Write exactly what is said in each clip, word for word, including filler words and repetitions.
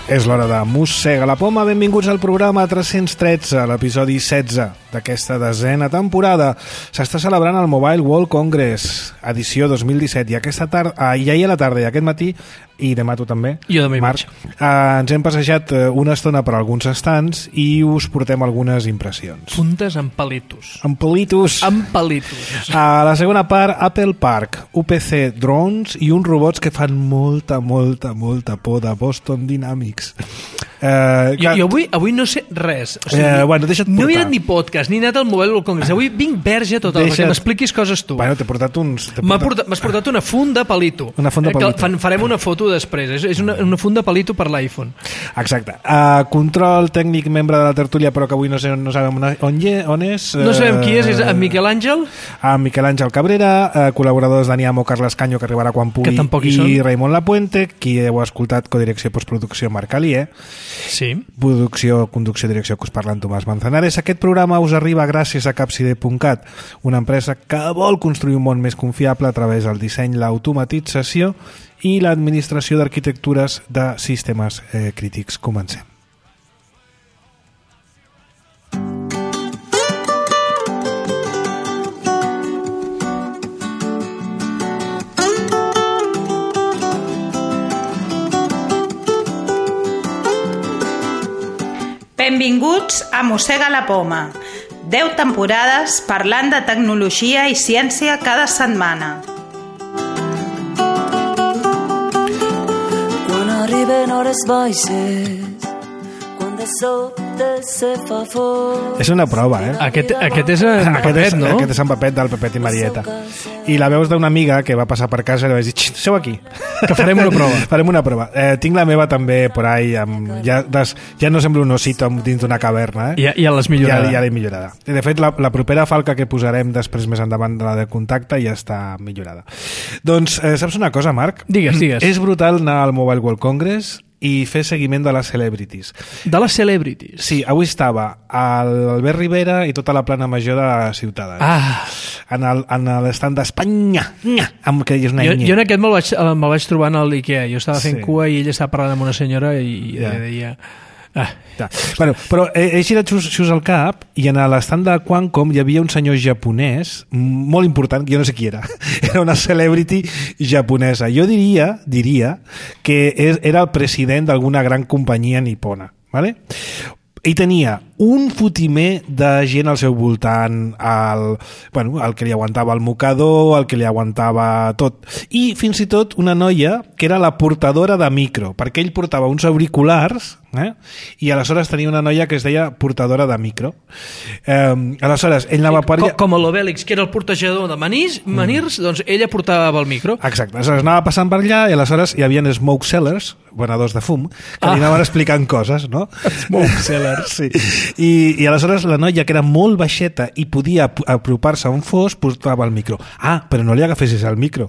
És l'hora de Mossega la Poma. Benvinguts al programa tres-cents tretze, l'episodi setze d'aquesta desena temporada. S'està celebrant el Mobile World Congress, edició dos mil disset, i aquesta tarda, ah, i ahir a la tarda i aquest matí, i demà tu també, jo demà Marc, eh, ens hem passejat una estona per alguns estants i us portem algunes impressions. Puntes amb palitos. Amb palitos. Amb palitos. A la segona part, Apple Park, U P C Drones i uns robots que fan molta, molta, molta por de Boston Dynamics. Eh, jo, jo avui, avui no sé res. O sigui, eh, bueno, deixa't portar. No he anat ni podcast, ni he anat al Mobile World Congress. Avui vinc verge total, deixa't... perquè m'expliquis coses tu. Bueno, t'he portat uns... M'has portat... portat, portat una funda palito. Una funda palito. Eh, fan, farem una foto després. És, és una, una funda palito per l'iPhone. Exacte. Uh, control tècnic, membre de la tertúlia, però que avui no, sé, no sabem on, on és. No sabem uh, qui és. És en Miquel Àngel? En Miquel Àngel Cabrera, uh, col·laboradors Dani Amo, Carles Canyo, que arribarà quan pugui, i Raimon Lapuente, qui heu escoltat, codirecció i postproducció, Marc Alier. Sí. Producció, conducció i direcció, que us parla en Tomàs Manzanares. Aquest programa us arriba gràcies a Capside punt cat, una empresa que vol construir un món més confiable a través del disseny, l'automatització i l'administració d'arquitectures de sistemes eh, crítics. Comencem. Benvinguts a Mossega la Poma. deu temporades parlant de tecnologia i ciència cada setmana. Quan arriben hores baixes, quan de sobte se fa fort. És una prova, eh? Aquest, aquest és en aquest Pepet, és, no? Aquest és en Pepet, del Pepet i Marieta. I la veus d'una amiga que va passar per casa i li vaig dir, seu aquí, que farem una prova. farem una prova. Eh, tinc la meva també por ahí, amb, ja, des, ja no sembla un osito dins d'una caverna. Eh? Ja, ja l'has millorada. Ja, ja l'he millorada. I de fet, la, la propera falca que posarem després més endavant de la de contacte ja està millorada. Doncs, eh, saps una cosa, Marc? Digues, digues. És brutal anar al Mobile World Congress i fer seguiment de les celebrities. De les celebrities? Sí, avui estava l'Albert Rivera i tota la plana major de Ciutadans. Ah. En el, en l'estand d'Espanya, amb que és una jo, enya. jo en aquest me'l vaig, me'l vaig trobar en l'Ikea. Jo estava fent sí. cua i ella estava parlant amb una senyora i ja. deia... Ah. Ja. Bueno, però he, he girat xus al cap i en l'estand de Qualcomm hi havia un senyor japonès molt important, jo no sé qui era, era una celebrity japonesa. Jo diria, diria que és, era el president d'alguna gran companyia nipona, ¿vale? I tenia un fotimer de gent al seu voltant, el, bueno, el que li aguantava el mocador, el que li aguantava tot, i fins i tot una noia que era la portadora de micro, perquè ell portava uns auriculars, eh? I aleshores tenia una noia que es deia portadora de micro. Eh, aleshores, ell anava per allà... Com, com l'Obèlix, que era el portejador de manís, manirs, mm. doncs ella portava el micro. Exacte, aleshores anava passant per allà i aleshores hi havia smoke sellers, venedors de fum, que ah. li anaven explicant coses, no? Smoke sellers, sí. I, i aleshores la noia, que era molt baixeta i podia apropar-se a un fos, portava el micro. Ah, però no li agafessis el micro,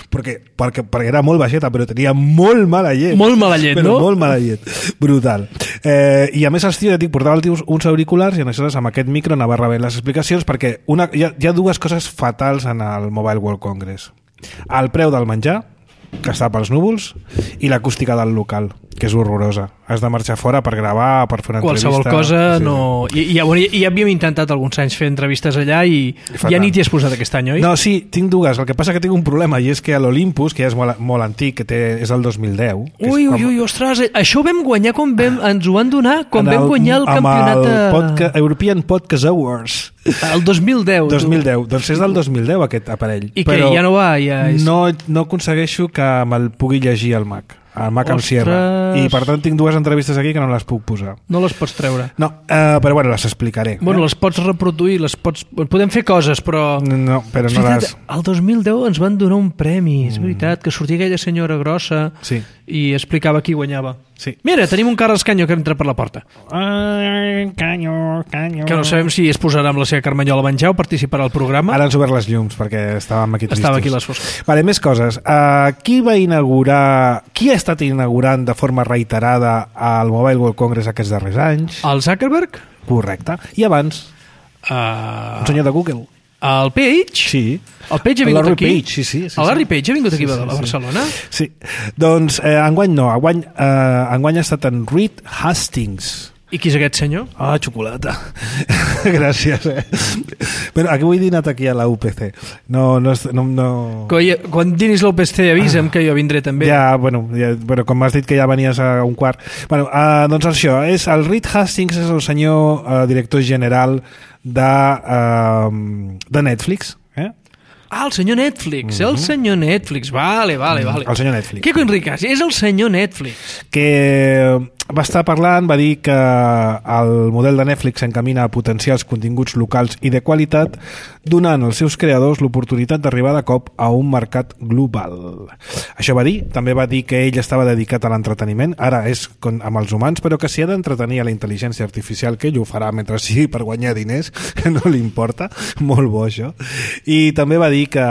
perquè, perquè, perquè era molt baixeta, però tenia molt mala llet. Molt mala llet, però no? Molt mala llet, brutal. Eh, I a més els tios, ja dic, portava el tio uns auriculars i aleshores amb aquest micro anava rebent les explicacions, perquè una, hi, ha, hi ha dues coses fatals en el Mobile World Congress. El preu del menjar, que està pels núvols, i l'acústica del local, que és horrorosa. Has de marxar fora per gravar, per fer una qualsevol entrevista. Qualsevol cosa sí. no... I, ja, bueno, ja havíem intentat alguns anys fer entrevistes allà i Fatal. Ja ni t'hi has posat aquest any, oi? No, sí, tinc dues. El que passa que tinc un problema, i és que a l'Olympus, que ja és molt, molt antic, que té, és el dos mil deu... Ui, ui, ui, ostres, això ho vam guanyar quan vam, ens ho van donar quan el, vam guanyar el campionat... Amb el a... podcast, European Podcast Awards. El dos mil deu. dos mil deu. Doncs és del dos mil deu aquest aparell. I què, ja no va? Ja és... no, no aconsegueixo que me'l pugui llegir al Mac. al Mac amb Sierra, i per tant tinc dues entrevistes aquí que no les puc posar. No les pots treure? No, uh, però bueno, les explicaré. Bueno, eh? les pots reproduir, les pots... podem fer coses, però... No, però no les... El dos mil deu ens van donar un premi, és veritat, que sortia aquella senyora grossa sí. i explicava qui guanyava. Sí. Mira, tenim un Carles Canyo que entra per la porta. Ai, Canyo, Canyo... Que no sabem si es posarà amb la seva carmanyola a menjar o participarà al programa. Ara han obert les llums, perquè estàvem aquí tristos. Estava aquí les fosques. Vale, més coses. Uh, qui va inaugurar... Qui ha estat inaugurant de forma reiterada al Mobile World Congress aquests darrers anys? El Zuckerberg? Correcte. I abans? Uh... Un senyor de Google. El Page? Sí. El Page ha vingut Larry aquí? Page, sí, sí, sí, el Larry sí. Page ha vingut aquí Sí, sí, a Barcelona? Sí. Doncs eh, enguany no, enguany, eh, enguany ha estat en Reed Hastings. I qui és aquest senyor? Ah, xocolata. Gràcies, eh? Però aquí vull dinat aquí a la U P C. No, no... no, no... Quan, quan dinis l'U P C avisa'm que jo vindré també. Ja, bueno, ja, bueno, com m'has dit que ja venies a un quart. Bueno, uh, doncs això, és, el Reed Hastings és el senyor uh, director general de, uh, de Netflix. Eh? Ah, el senyor Netflix, mm-hmm. el senyor Netflix, vale, vale, vale. El senyor Netflix. Quico Enriquez, és el senyor Netflix. Que va estar parlant, va dir que el model de Netflix s'encamina a potenciar els continguts locals i de qualitat, donant als seus creadors l'oportunitat d'arribar de cop a un mercat global. Això va dir, també va dir que ell estava dedicat a l'entreteniment, ara és con, amb els humans, però que si ha d'entretenir a la intel·ligència artificial, que ell ho farà mentre sigui per guanyar diners, que no li importa, molt bo això. I també va dir que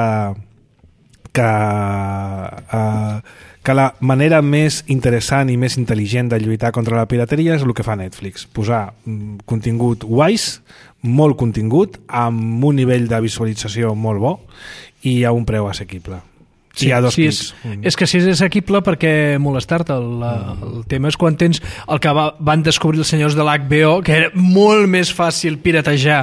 que, uh, que la manera més interessant i més intel·ligent de lluitar contra la pirateria és el que fa Netflix, posar mm, contingut guais, molt contingut, amb un nivell de visualització molt bo i a un preu assequible. Sí, hi ha dos sí, clics. és, mm. és que si és assequible, per què molestar-te? El, mm. el tema és quan tens el que va, van descobrir els senyors de l'H B O, que era molt més fàcil piratejar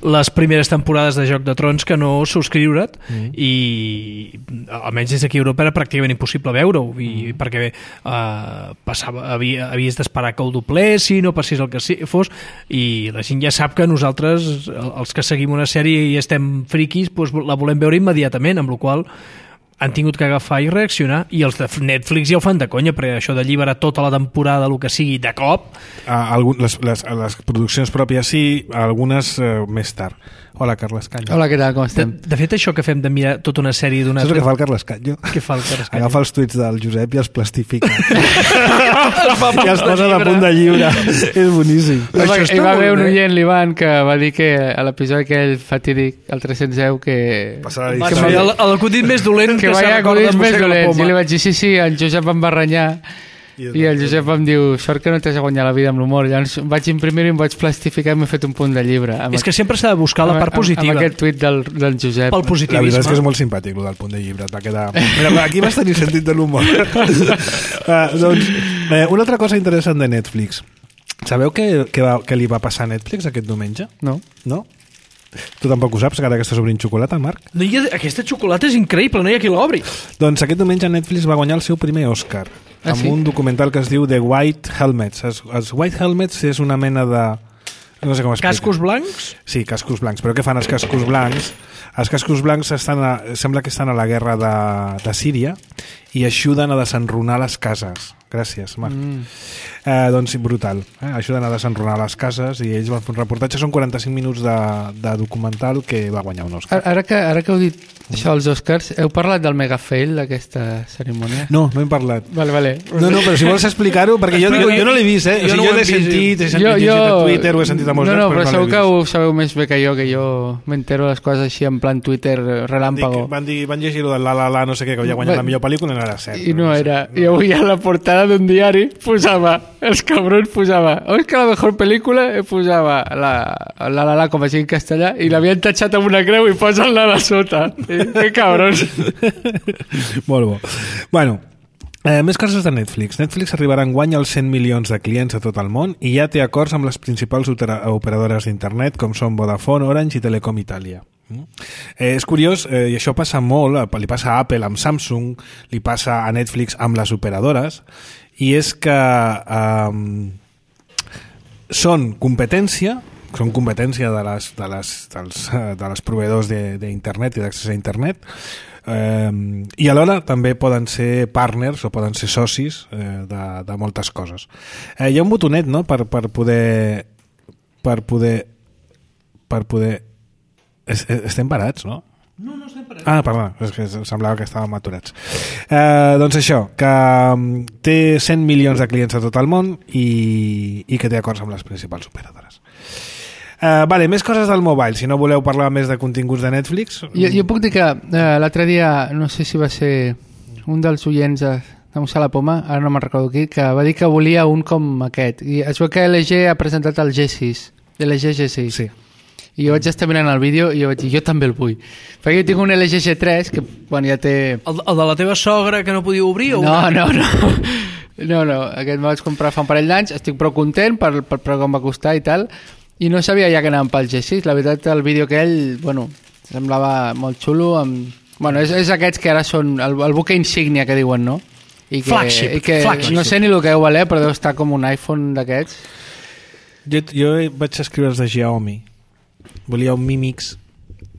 les primeres temporades de Joc de Trons que no subscriure't, mm. i almenys des d'aquí a Europa era pràcticament impossible veure-ho, i, mm. perquè uh, passava, havia, havies d'esperar que ho doblessin o passés el que fos, i la gent ja sap que nosaltres, els que seguim una sèrie i estem friquis, doncs la volem veure immediatament, amb la qual han tingut que agafar i reaccionar, i els de Netflix ja ho fan de conya, perquè això d'alliberar tota la temporada, el que sigui, de cop... Uh, algun, les, les, les produccions pròpies sí, algunes uh, més tard. Hola, Carles Canyo. Hola, què tal, com estem? De, de fet, això que fem de mirar tota una sèrie d'una... Saps el que fa el Carles Canyo? Què fa el Carles Canyo? Agafa els tuits del Josep i els plastifica. I els posa a punt de llibre. És boníssim. No, va, hi va haver un oient, l'Ivan, que va dir que a l'episodi aquell fatídic, el tres-cents deu, que... Passarà la que el, l'acudit més dolent que, que vaya acudits més dolents. I li vaig dir, sí, sí, el Josep em va renyar. I, I el Josep em diu, sort que no t'has de guanyar la vida amb l'humor. Llavors vaig imprimir-ho i em vaig plastificar i m'he fet un punt de llibre. És que sempre s'ha de buscar la part amb, positiva. Amb aquest tuit del, del Josep. Pel positivisme. La veritat és que és molt simpàtic, el del punt de llibre. Et va quedar... Mira, aquí vas tenir sentit de l'humor. uh, doncs, eh, una altra cosa interessant de Netflix. Sabeu què, què, va, què li va passar a Netflix aquest diumenge? No. No? Tu tampoc ho saps, que ara que estàs obrint xocolata, Marc? No hi ha, aquesta xocolata és increïble, no hi ha qui l'obri. Doncs aquest diumenge Netflix va guanyar el seu primer Òscar, ah, amb sí? un documental que es diu The White Helmets. Els, els White Helmets és una mena de... No sé com explicar. Cascos blancs? Sí, cascos blancs. Però què fan els cascos blancs? Els cascos blancs estan a, sembla que estan a la guerra de, de Síria i ajuden a desenrunar les cases. Gràcies, Marc. Mm. Eh, doncs brutal. Eh? Ajuden a desenrunar les cases i ells van fer un reportatge. Són quaranta-cinc minuts de, de documental que va guanyar un Òscar. Ara que, ara que heu dit això als Oscars, heu parlat del mega fail d'aquesta cerimònia? No, no hem parlat. Vale, vale. No, no, però si vols explicar-ho, perquè jo, jo, jo no l'he vist, eh? O sigui, jo, jo l'he sentit, he sentit jo, jo... a Twitter, ho he sentit a molts no, no, llocs, però, però no segur que ho sabeu més bé que jo, que jo m'entero les coses així en plan Twitter relàmpago. Dic, van, dir, van llegir-ho de la la la, no sé què, que havia guanyat la millor pel·lícula i no era cert. I no, no era. No. I avui a la portada d'un diari posava, els cabrons posava, Òscar la mejor pel·lícula, i posava la la la la com a així en castellà, i l'havien tatxat amb una creu i posen la de sota. I, que cabrons. Molt bo. Bueno, eh, més coses de Netflix. Netflix arribarà enguany als cent milions de clients a tot el món i ja té acords amb les principals operadores d'internet com són Vodafone, Orange i Telecom Italia. Eh, és curiós, eh, i això passa molt, li passa a Apple amb Samsung, li passa a Netflix amb les operadores, i és que eh, són competència són competència de les, de les, dels, de les proveïdors d'internet i d'accés a internet, eh, i alhora també poden ser partners o poden ser socis eh, de, de moltes coses. Eh, hi ha un botonet, no?, per, per poder per poder per poder estem parats, no? No, no estem parats. Ah, perdó, és que semblava que estàvem aturats. Eh, doncs això, que té cent milions de clients a tot el món i, i que té acords amb les principals operadores. Eh, vale, més coses del mobile, si no voleu parlar més de continguts de Netflix. Jo, jo puc dir que eh, l'altre dia, no sé si va ser un dels oients de, de Mossar la Poma, ara no me'n recordo qui, que va dir que volia un com aquest. I es veu que L G ha presentat el G sis, L G G sis. Sí. I jo vaig estar mirant el vídeo i jo vaig dir, jo també el vull. Perquè jo tinc un L G G tres que, bueno, ja té... El, el de la teva sogra que no podia obrir? O no, una... no, no, no, no. Aquest me'l vaig comprar fa un parell d'anys, estic prou content per, per, per com va costar i tal, i no sabia ja que anàvem pel G sis. La veritat, el vídeo aquell, bueno, semblava molt xulo. Amb... Bueno, és, és aquests que ara són el, el buque insígnia que diuen, no? I que, flagship, i que flagship. No sé ni el que deu valer, però deu estar com un iPhone d'aquests. Jo, jo vaig escriure els de Xiaomi. Volia un Mi Mix,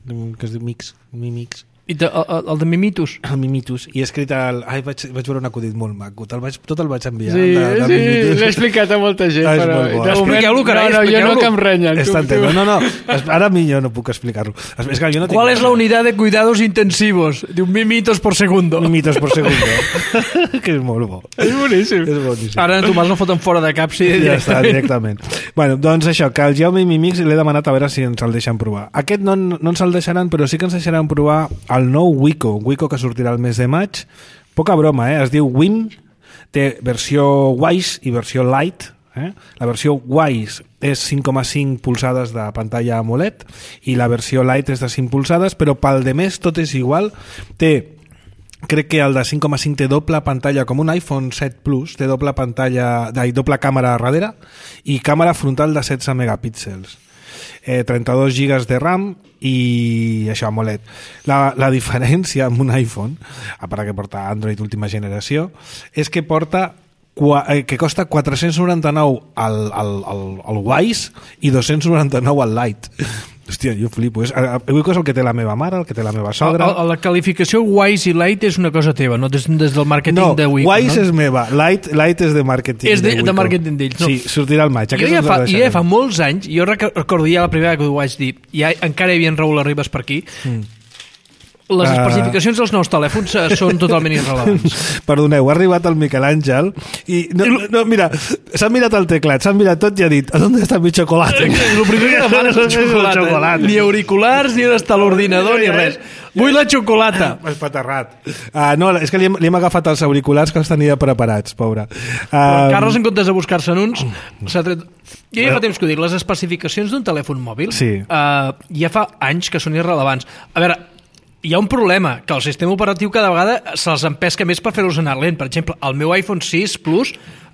que es diu Mix, Mi Mix. I de, el, el de Mimitus? El Mimitus. I he escrit el... Ai, vaig, vaig veure un acudit molt maco. Te'l vaig, tot el vaig enviar. Sí, de, de sí, l'he explicat a molta gent, ah, però... bo. Expliqueu-lo, carai, no, no, jo no que em renyen. Està entenc. No, no, ara a mi jo no puc explicar-lo. És que jo no tinc... ¿Cuál es la unidad de cuidados intensivos? De un mimitos por segundo. Mimitos por segundo. Que és molt bo. És boníssim. És boníssim. Ara en Tomàs no foten fora de cap, sí, Ja està, directament. directament. Bueno, doncs això, que el Xiaomi Mi Mix l'he demanat a veure si ens el deixen provar. Aquest no, no ens el deixaran, però sí que ens deixaran provar el nou Wiko, un Wiko que sortirà el mes de maig. Poca broma, eh? Es diu Wim, té versió Wise i versió Lite. Eh? La versió Wise és cinc coma cinc polzades de pantalla AMOLED i la versió Lite és de cinc polzades, però pel de més tot és igual. Té, crec que el de cinc coma cinc té doble pantalla com un iPhone set Plus, té doble pantalla, ai, doble càmera a darrere i càmera frontal de setze megapíxels. Eh, trenta-dos gigas de RAM i això, AMOLED. La, la diferència amb un iPhone, a part que porta Android última generació, és que porta que costa quatre-cents noranta-nou al, al, al, al Wise i dos-cents noranta-nou al Lite. Hòstia, jo flipo. És, avui és el que té la meva mare, el que té la meva sogra... A, a la qualificació Wise i Lite és una cosa teva, no des, des del màrqueting no, de Wiko. Wise no? és meva, Lite, Lite és de màrqueting és de, de Wiko. de màrqueting d'ells. No. Sí, sortirà al maig. Jo ja fa, ja fa molts anys, jo recordo ja la primera que ho vaig dir, ja encara hi havia en Raül Arribas per aquí, mm. Les especificacions dels nous telèfons són totalment irrelevants. Perdoneu, ha arribat el Miquel Àngel i, no, no, mira, s'ha mirat el teclat, s'ha mirat tot i ha dit, ¿dónde está mi chocolate? El primer que demana és el xocolata. xocolata. Ni auriculars, ni on està l'ordinador, ni res. Vull la xocolata. És paterrat. Uh, no, és que li hem, li hem agafat els auriculars que els tenia preparats, pobre. Uh, Però Carles, en comptes de buscar-se'n uns, s'ha tret... Jo ja fa temps que ho dic, les especificacions d'un telèfon mòbil sí. uh, ja fa anys que són irrelevants. A veure, hi ha un problema, que el sistema operatiu cada vegada se'ls empesca més per fer-los anar lent. Per exemple, el meu iPhone sis Plus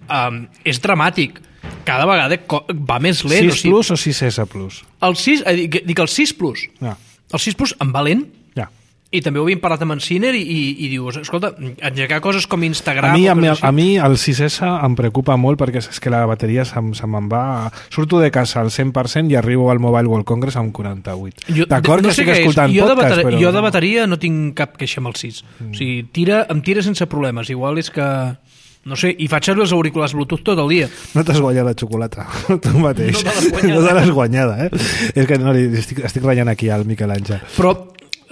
um, és dramàtic. Cada vegada va més lent. sis Plus o sis S Plus? El sis, eh, dic, dic el sis Plus. Ja. El sis Plus em va lent. Ja. I també ho havíem parlat amb en Ciner i, i, i dius, escolta, engegar coses com Instagram... A mi, a, mi, a mi el sis S em preocupa molt perquè és que la bateria se, se me'n va... Surto de casa al cent per cent i arribo al Mobile World Congress amb quaranta-vuit. D'acord no que sé estic escoltant jo podcast, de però... Jo de bateria no tinc cap queixa amb el sis. Mm. O sigui, tira, em tira sense problemes. Igual és que... No sé, i faig servir els auriculars Bluetooth tot el dia. No t'has guanyat la xocolata, tu mateix. No te l'has guanyada. No te l'has guanyada, eh? És que no, estic, estic ratllant aquí al Miquel Àngel. Però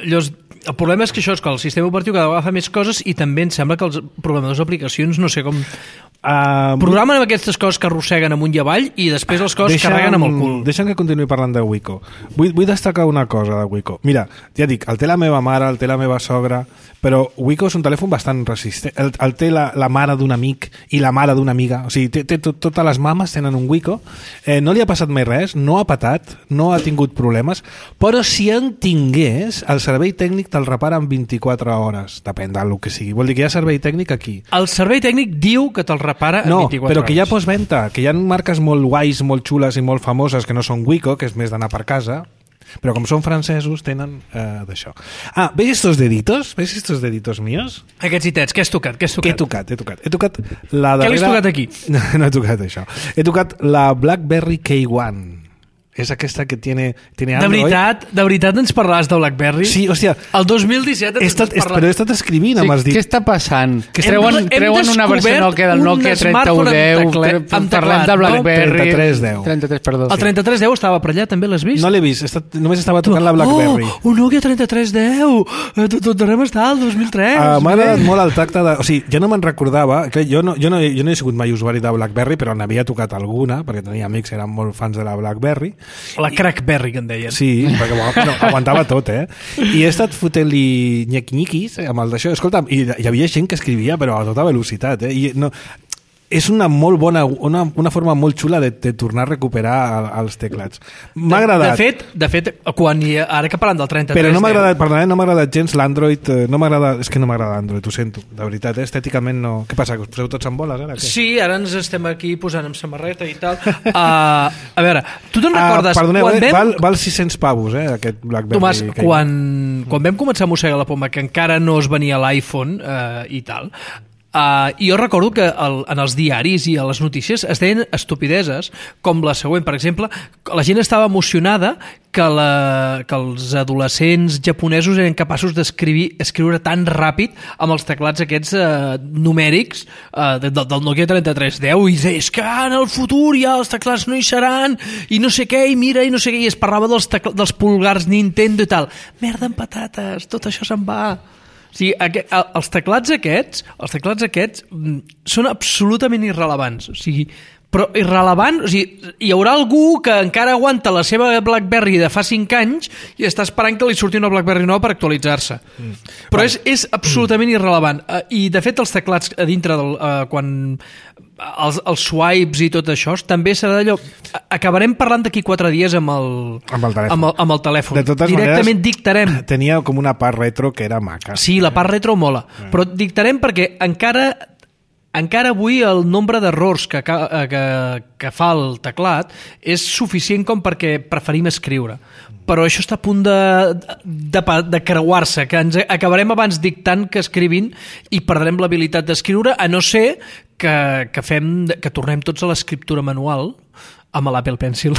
llavors, el problema és que això és que el sistema operatiu cada vegada fa més coses i també em sembla que els programadors d'aplicacions, no sé com... Uh, programen amb aquestes coses que arrosseguen amunt i avall i després les coses deixa'm, carreguen amb el cul. Deixa'm que continuï parlant de Wiko. Vull, vull destacar una cosa de Wiko. Mira, ja dic, el té la meva mare, el té la meva sogra, però Wiko és un telèfon bastant resistent. El, el té la, la mare d'un amic i la mare d'una amiga. O sigui, té, té tot, totes les mames tenen un Wiko. Eh, no li ha passat mai res, no ha patat, no ha tingut problemes, però si en tingués, el servei tècnic te'l repara en vint-i-quatre hores. Depèn del que sigui. Vol dir que hi ha servei tècnic aquí. El servei tècnic diu que te'l repara en no, vint-i-quatre però que hi ha hores. postventa, que hi ha marques molt guais, molt xules i molt famoses que no són Wiko, que és més d'anar per casa, però com són francesos tenen eh, d'això. Ah, ¿ves estos deditos? ¿Ves estos deditos míos? Aquests ditets, què has tocat? Què has tocat? Què he tocat? He tocat, he tocat la darrera... Què l'has tocat aquí? No, no he tocat això. He tocat la BlackBerry K uno. És aquesta que tiene, tiene Android. De veritat, de veritat ens parlaràs de BlackBerry? Sí, hòstia. El dos mil disset ens estat, parlat... Però he estat escrivint, sí, amb els dit. Què està passant? Que hem, treuen, hem treuen una versió Nokia del Nokia trenta u deu, parlem de BlackBerry... trenta-tres deu. trenta-tres, perdó. El trenta-tres deu estava per allà, també l'has vist? No l'he vist, estat, només estava tocant la BlackBerry. Oh, un Nokia trenta-tres deu! Tot arreu està, el dos mil tres. Uh, M'ha agradat molt el tacte de... O sigui, ja no me'n recordava, que jo no, jo, no, jo no he sigut mai usuari de BlackBerry, però n'havia tocat alguna, perquè tenia amics que eren molt fans de la BlackBerry. La Crackberry, que en deien. Sí, perquè no, aguantava tot, eh? I he estat fotent-li nyec-nyiquis amb el d'això. Escolta, hi, hi havia gent que escrivia, però a tota velocitat, eh? I no, és una molt bona, una, una forma molt xula de, de tornar a recuperar els teclats. M'ha De, agradat. de fet, de fet quan hi, ara que parlant del trenta-tres... Però no m'ha deu, agradat, perdona, no m'ha agradat gens l'Android, eh, no m'agrada, és que no m'agrada Android, ho sento, de veritat, eh? Estèticament no... Què passa, que us poseu tots en boles ara? Què? Sí, ara ens estem aquí posant amb samarreta i tal. Uh, a veure, tu te'n recordes... Ah, perdoneu, quan eh? vam... val, val sis-cents pavos, eh, aquest BlackBerry. Tomàs, que... quan, quan vam començar a mossegar la poma, que encara no es venia l'iPhone eh, i tal, Uh, i jo recordo que el, en els diaris i a les notícies es deien estupideses com la següent, per exemple, la gent estava emocionada que, la, que els adolescents japonesos eren capaços d'escriure escriure tan ràpid amb els teclats aquests uh, numèrics uh, de, de, del Nokia trenta-tres deu i és que en el futur ja els teclats no hi seran i no sé què, i mira, i no sé què, i es parlava dels, tecl dels pulgars Nintendo i tal. Merda amb patates, tot això se'n va. O sigui, aquest, els teclats aquests, els teclats aquests són absolutament irrelevants. O sigui, però irrelevant, o sigui, hi haurà algú que encara aguanta la seva BlackBerry de fa cinc anys i està esperant que li surti una BlackBerry nova per actualitzar-se. Mm. Però és, és absolutament irrelevant. I, de fet, els teclats a dintre del... Uh, quan els, els swipes i tot això, també serà d'allò... Acabarem parlant d'aquí quatre dies amb el, amb el telèfon. Amb el, amb el telèfon. De totes Directament maneres, dictarem. Tenia com una part retro que era maca. Sí, la part retro mola. Mm. Però dictarem perquè encara... Encara avui el nombre d'errors que, que, que fa el teclat és suficient com perquè preferim escriure. Però això està a punt de, de, de creuar-se, que ens acabarem abans dictant que escrivint i perdrem l'habilitat d'escriure, a no ser que, que, fem, que tornem tots a l'escriptura manual amb l'Apple Pencil.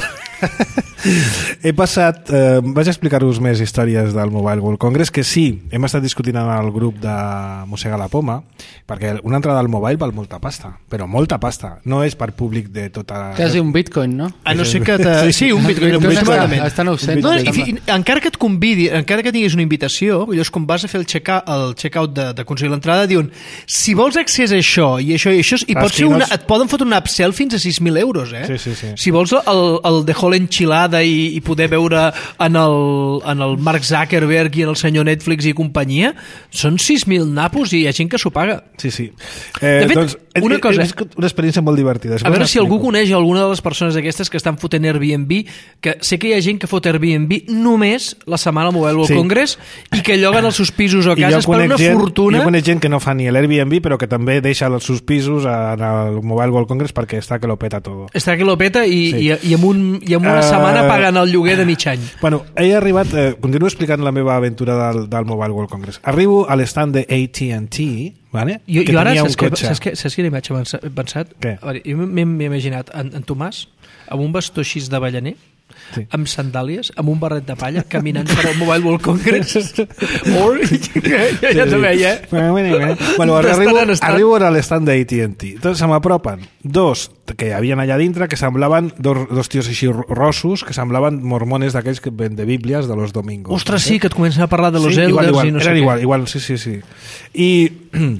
He passat... Eh, vaig explicar-vos més històries del Mobile World Congress, que sí, hem estat discutint en el grup de Mossega la Poma, perquè una entrada al Mobile val molta pasta, però molta pasta. No és per públic de tota... Quasi un bitcoin, no? A no ser que... Te... Sí, un bitcoin. Un bitcoin bitcoin està a nou-cents. No, i, fi, encara que et convidi, encara que tinguis una invitació, llavors quan vas a fer el check-out el check de, de aconseguir l'entrada, diuen, si vols accés a això i això i això, i pot ser una, et poden fotre una upsell fins a sis mil euros, eh? Sí, sí, sí. Si vols el, el de Hall enchilada i, i poder veure en el, en el Mark Zuckerberg i en el senyor Netflix i companyia, són sis mil napos i hi ha gent que s'ho paga. Sí, sí. Eh, De fet, doncs, una cosa... És una experiència molt divertida. A veure si algú coneix alguna de les persones d'aquestes que estan fotent Airbnb, que sé que hi ha gent que fot Airbnb només la setmana al Mobile World Sí. Congress i que lloguen els seus pisos o I jo cases per conec una gent, fortuna. Jo conec gent que no fa ni l'Airbnb, però que també deixa els seus pisos en el Mobile World Congress perquè està que lo peta todo. Està que lo peta i, Sí. i, i, amb, un, i amb una Eh, setmana paguen el lloguer de mig any. Bueno, he arribat, eh, continuo explicant la meva aventura del, del Mobile World Congress. Arribo a l'estand de A T and T, vale? Jo, que jo ara, tenia saps, un que, cotxe. saps, que, saps quina imatge m'he pensat? Què? A veure, jo m'he m'he imaginat en, en Tomàs amb un bastó així d'avellaner, Sí. amb sandàlies, amb un barret de palla, caminant per al Mobile World Congress. Or, ja, ja te veia, eh? Bueno, bueno, bueno. Bueno, D'estar arribo, en estat. arribo a l'estand de A T and T. Entonces se m'apropen dos que hi havia allà dintre que semblaven dos, dos tios així rossos que semblaven mormones d'aquells que ven de bíblies de los domingos. Ostres, sí, que et comencen a parlar de los sí, elders igual, igual, i no sé eren què. igual, igual, sí, sí, sí. I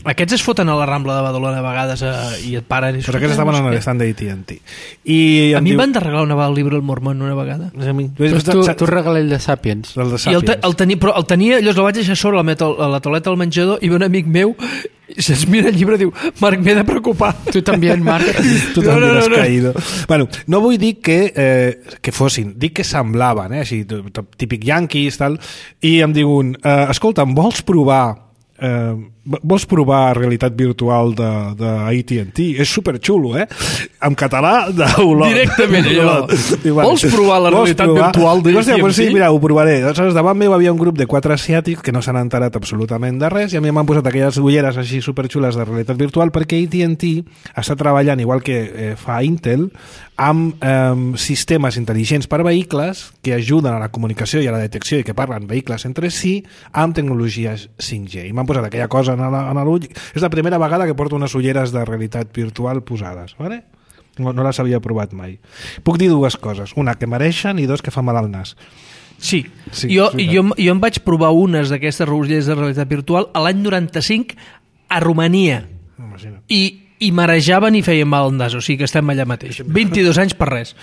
Aquests es foten a la Rambla de Badalona a vegades eh, i et paren. I pues aquests estaven en l'estand de A T and T. I A em mi diu- em van de regalar una vegada el llibre El Mormón una vegada. A mi. Pues tu, tu regala el de Sapiens. El de I el, te, Sapiens. el tenia, però el tenia, llavors el vaig deixar sobre a la, meto- a la tauleta del menjador i ve un amic meu i se'ns mira el llibre i diu, Marc, m'he de preocupar. Tu també, Marc. Tu No, també no, no, has no. caído. Bueno, no vull dir que, eh, que fossin, dic que semblaven, eh, així, t- t- típic yanquis, tal, i em diuen, eh, escolta, em vols provar eh, vols provar realitat virtual de, de A T and T? És superxulo, eh? En català, d'Olot. Directament, allò. I Vols provar la vols realitat provar? virtual de Dic, hòstia, A T and pues sí, T? mira, ho provaré. Aleshores, davant meu havia un grup de quatre asiàtics que no s'han enterat absolutament de res i a mi m'han posat aquelles ulleres així superxules de realitat virtual perquè A T and T està treballant, igual que eh, fa Intel, amb eh, sistemes intel·ligents per vehicles que ajuden a la comunicació i a la detecció i que parlen vehicles entre si amb tecnologies cinc G. I m'han posat aquella cosa en la- en l'ull. És la primera vegada que porto unes ulleres de realitat virtual posades, ¿vale? No, no les havia provat mai. Puc dir dues coses. Una, que mereixen, i dos, que fa mal al nas. Sí, Sí, jo, és veritat. jo, jo em vaig provar unes d'aquestes ulleres de realitat virtual a l'any noranta-cinc a Romania Imagina't. i, i marejaven i feien mal al nas, o sigui que estem allà mateix. vint-i-dos anys per res.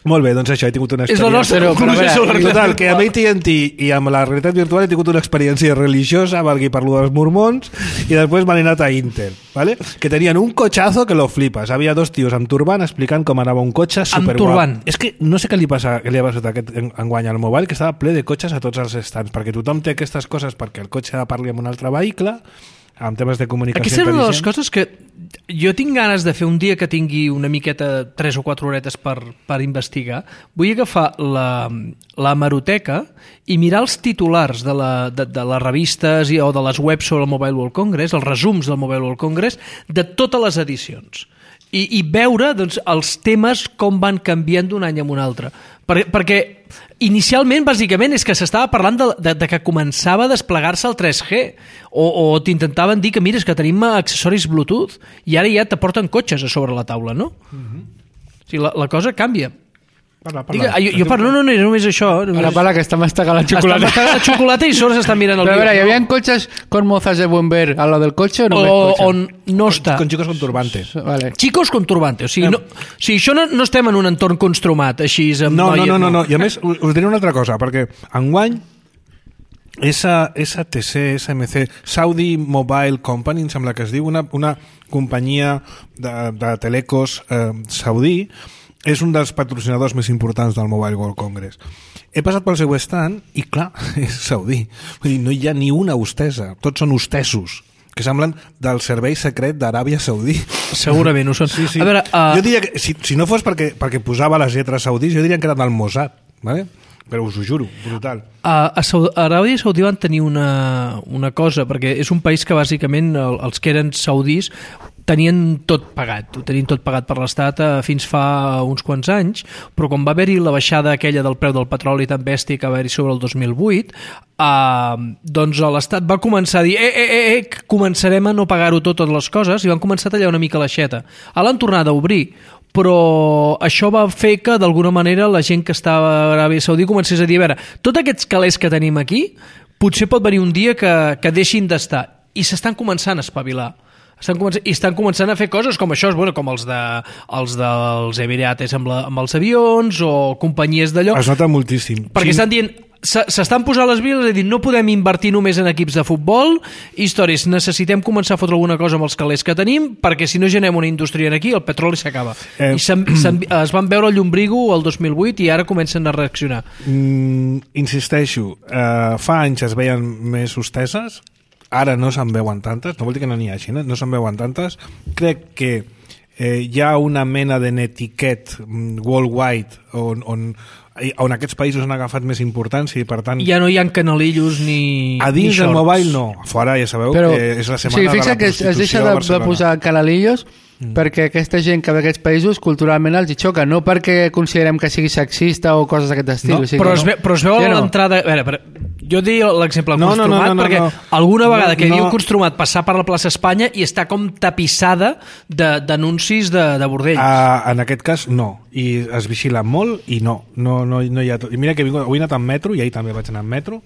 Molt bé, doncs això, he tingut una És la experiència... nostra Però, però, conclusió a sobre veure, la Total, que amb A T and T i amb la realitat virtual he tingut una experiència religiosa, valgui per lo dels mormons, i després m'han anat a Intel, ¿vale? Que tenien un cotxazo que lo flipes. Havia dos tios amb turbant explicant com anava un cotxe superguap. turbant. És que no sé què li passa, què li ha passat aquest enguany al mobile, que estava ple de cotxes a tots els stands, perquè tothom té aquestes coses perquè el cotxe parli amb un altre vehicle, amb temes de comunicació Aquesta és una de les intel·ligent. coses que jo tinc ganes de fer un dia que tingui una miqueta, tres o quatre horetes per, per investigar. Vull agafar la, la hemeroteca i mirar els titulars de, la, de, de les revistes i, o de les webs sobre el Mobile World Congress, els resums del Mobile World Congress, de totes les edicions. I, i veure doncs, els temes com van canviant d'un any a un altre. Per, perquè inicialment, bàsicament, és que s'estava parlant de, de, de que començava a desplegar-se el tres G o, o t'intentaven dir que, mira, és que tenim accessoris Bluetooth i ara ja t'aporten cotxes a sobre la taula, no? Mm-hmm. O sigui, la, la cosa canvia. Parla, Digue, parla. jo, jo parlo, no, no, no, només això. Només... Para, para, que està mastegant la xocolata. Està mastegant la xocolata i sobre s'està mirant el Pero a ver, ¿y vídeo. habían coches con mozas de buen ver a lo del coche o no? O on no està. Con chicos con turbante. Vale. Chicos con turbante. O sigui, no, o sigui això no, no estem en un entorn construmat, així amb No, no, noies, no, no, no. I a més, us us diré una altra cosa, perquè enguany S T C, S M C, Saudi Mobile Company, em sembla que es diu, una, una companyia de, de telecos eh, saudí, és un dels patrocinadors més importants del Mobile World Congress. He passat pel seu stand i, clar, és saudí. Vull dir, no hi ha ni una hostessa. Tots són hostesos, que semblen del servei secret d'Aràbia Saudí. Segurament ho són. Sí, sí. A veure, uh... Jo diria que, si, si no fos perquè, perquè posava les lletres saudís, jo diria que eren del Mossad, ¿vale? Però us ho juro, brutal. A, a, Saud a Aràbia Saudí van tenir una, una cosa, perquè és un país que bàsicament el, els que eren saudís tenien tot pagat, ho tenien tot pagat per l'Estat eh, fins fa uns quants anys, però quan va haver-hi la baixada aquella del preu del petroli tan bèstia que va haver-hi sobre el dos mil vuit, eh, doncs l'Estat va començar a dir eh, eh, eh, eh, començarem a no pagar-ho tot, totes les coses, i van començar a tallar una mica l'aixeta. Ara l'han tornat a obrir, però això va fer que d'alguna manera la gent que estava a Aràbia Saudí comencés a dir, a veure, tots aquests calés que tenim aquí potser pot venir un dia que, que deixin d'estar, i s'estan començant a espavilar. Estan començant, i estan començant a fer coses com això, bueno, com els, de, els dels Emirates amb, la, amb els avions o companyies d'allò, Es nota moltíssim. perquè Sí. estan dient s'estan posant les viles i dir no podem invertir només en equips de futbol, històries, necessitem començar a fotre alguna cosa amb els calés que tenim perquè si no generem una indústria aquí el petroli s'acaba. Eh. I se'n, se'n, es van veure el llumbrigo el dos mil vuit i ara comencen a reaccionar. Mm, insisteixo, eh, fa anys es veien més hosteses, ara no se'n veuen tantes, no vol dir que no n'hi hagi, no, no se'n veuen tantes. Crec que eh, hi ha una mena de netiquet mm, worldwide on, on, on aquests països han agafat més importància i per tant Ja no hi ha canalillos ni a dins ni del shorts. mobile no, a fora ja sabeu Però, que és la o setmana sigui, de la fixa que es, es deixa prostitució de, a de Barcelona. posar canalillos mm. perquè aquesta gent que ve a aquests països culturalment els hi xoca, no perquè considerem que sigui sexista o coses d'aquest estil. No, o sigui Però que es, no. ve, però es veu Sí a o no? l'entrada... A veure, per, jo dic l'exemple No, no, no, construmat no, no, perquè no. alguna vegada que hi No. havia construmat passar per la plaça Espanya i està com tapissada d'anuncis de, de, de bordell. Uh, en aquest cas no, i es vigila molt i no, no, no, no hi ha tot. I mira que he, vingut, avui he anat en metro i ahir també vaig anar en metro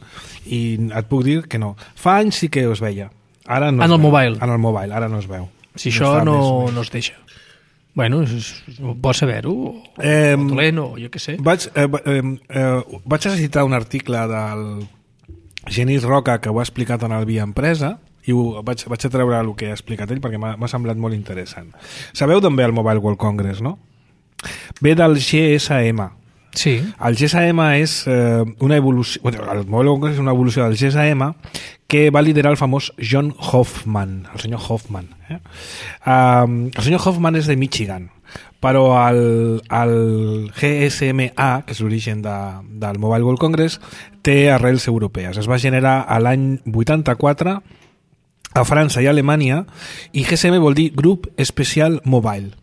i et puc dir que no. Fa anys sí que es veia, ara no En es el veu. mobile. En el mobile, ara no es veu. si això està no, més- més. no es deixa. Bueno, és, és bo saber-ho, o, Eh, o dolent, o jo què sé. Vaig, eh, va- eh, eh, vaig a citar un article del Genís Roca que ho ha explicat en el Via Empresa i ho, vaig, vaig a treure el que ha explicat ell perquè m'ha m'ha semblat molt interessant. Sabeu d'on ve el Mobile World Congress, no? Ve del G S M. Sí. El G S M és eh, una evolució, bueno, el Mobile World Congress és una evolució del G S M que va liderar el famós John Hoffman, el senyor Hoffman. Eh? Um, el senyor Hoffman és de Michigan, però el, el G S M A, que és l'origen de, del Mobile World Congress, té arrels europees. Es va generar a l'any vuitanta-quatre a França i a Alemanya, i G S M vol dir Grup Especial Mobile.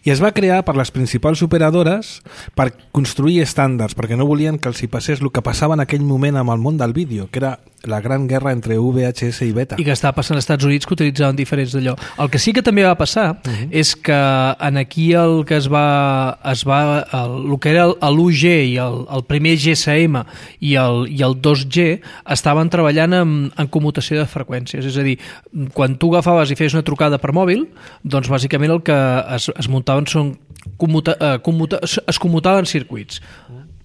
I es va crear per les principals operadores per construir estàndards, perquè no volien que els hi passés el que passava en aquell moment amb el món del vídeo, que era la gran guerra entre V H S i Beta. I que estava passant als Estats Units, que utilitzaven diferents d'allò. El que sí que també va passar uh -huh. és que en aquí el que es va, es va el, el que era l'u G i el, el primer G S M i el, i el dos G estaven treballant en, en commutació de freqüències, és a dir, quan tu agafaves i feies una trucada per mòbil, doncs bàsicament el que es, es muntaven són commuta, eh, commuta, es, es commutaven circuits.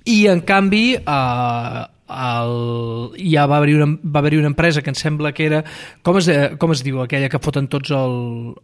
I, en canvi, eh, el, ja va haver-hi una, va haver-hi una empresa que em sembla que era com es, com es diu aquella que foten tots el,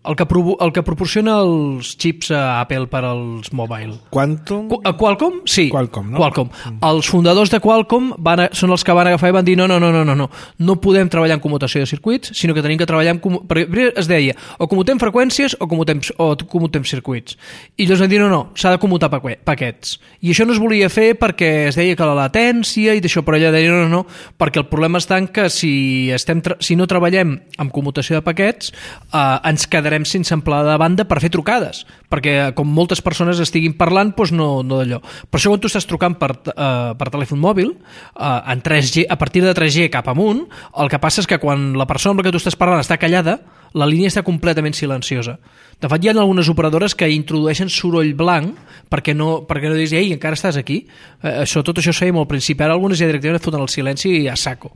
el, que, pro, el que proporciona els xips a Apple per als mobile Quantum? Qu Qualcomm? Sí, Qualcomm, no? Qualcomm. Mm. Els fundadors de Qualcomm van a, són els que van agafar i van dir no, no, no, no, no, no, no podem treballar en commutació de circuits, sinó que tenim que treballar en... Perquè es deia, o commutem freqüències o commutem, o commutem circuits. I llavors van dir no, no, s'ha de commutar paquets. I això no es volia fer perquè es deia que la latència i d'això, però ella deia no, no, no, perquè el problema està en que si, estem si no treballem amb commutació de paquets eh, ens quedarem sense amplada de banda per fer trucades, perquè com moltes persones estiguin parlant, doncs no, no d'allò. Per això quan tu estàs trucant per, eh, per telèfon mòbil eh, en tres G, a partir de tres G cap amunt, el que passa és que quan la persona amb la que tu estàs parlant està callada, la línia està completament silenciosa. De fet, hi ha algunes operadores que introdueixen soroll blanc perquè no, perquè no diguis, ei, encara estàs aquí. Eh, això, tot això es feia molt al principi. Ara algunes ja directament foten el silenci i a saco.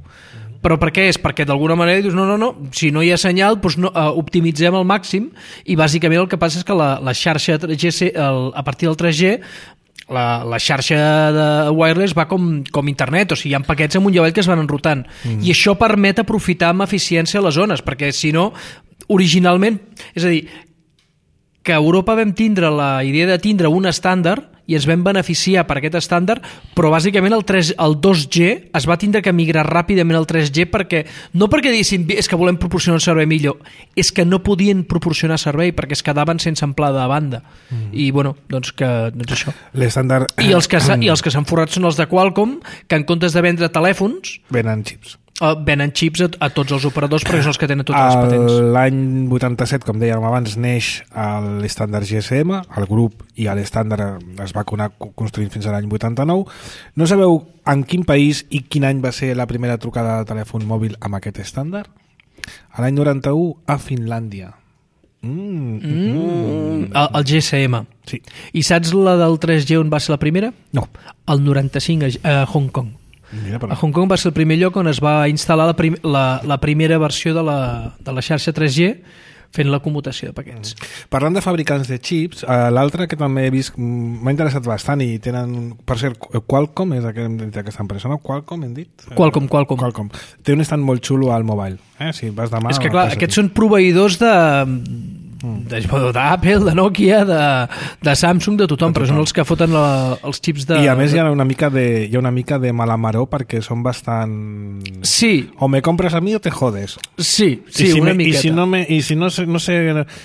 Però per què és? Perquè d'alguna manera dius, no, no, no, si no hi ha senyal, doncs no, uh, optimitzem al màxim, i bàsicament el que passa és que la, la xarxa tres G, el, a partir del tres G, la, la xarxa de wireless va com, com internet, o sigui, hi ha paquets amunt i avall que es van enrutant. Mm. I això permet aprofitar amb eficiència les zones, perquè si no, originalment, és a dir, que a Europa vam tindre la idea de tindre un estàndard i ens vam beneficiar per aquest estàndard, però bàsicament el, tres, el dos G es va tindre que migrar ràpidament al tres G perquè, no perquè diguessin és que volem proporcionar un servei millor, és que no podien proporcionar servei perquè es quedaven sense amplada de banda. Mm. I bueno, doncs que doncs això. L'estàndard... I els que s'han forrat són els de Qualcomm, que en comptes de vendre telèfons... Venen xips. Uh, venen xips a, a tots els operadors perquè són els que tenen totes les patents. L'any vuitanta-set, com dèiem abans, neix l'estàndard G S M, el grup i l'estàndard es va anar construint fins a l'any vuitanta-nou. No sabeu en quin país i quin any va ser la primera trucada de telèfon mòbil amb aquest estàndard? A l'any noranta-u a Finlàndia. Mm, mm. Mm. El, el G S M. Sí. I saps la del tres G on va ser la primera? No. El noranta-cinc a, a Hong Kong. Mira, a Hong Kong va ser el primer lloc on es va instal·lar la, prim la, la primera versió de la, de la xarxa tres G fent la commutació de paquets. Mm. Parlant de fabricants de xips, eh, l'altre que també he vist, m'ha interessat bastant i tenen, per cert, Qualcomm és aquesta empresa, no? Qualcomm hem dit? Qualcomm, Qualcomm. Qualcomm. Té un stand molt xulo al mobile. Eh? Si vas demà... És que clar, aquests són proveïdors de... d'Apple, de Nokia, de, de Samsung, de tothom, de tothom, però són els que foten la, els xips de... I a més hi ha una mica de, hi ha una mica de malamaró perquè són bastant... Sí. O me compres a mi o te jodes. Sí, sí, si una me, miqueta. I si no, me, i si no, sé, no sé...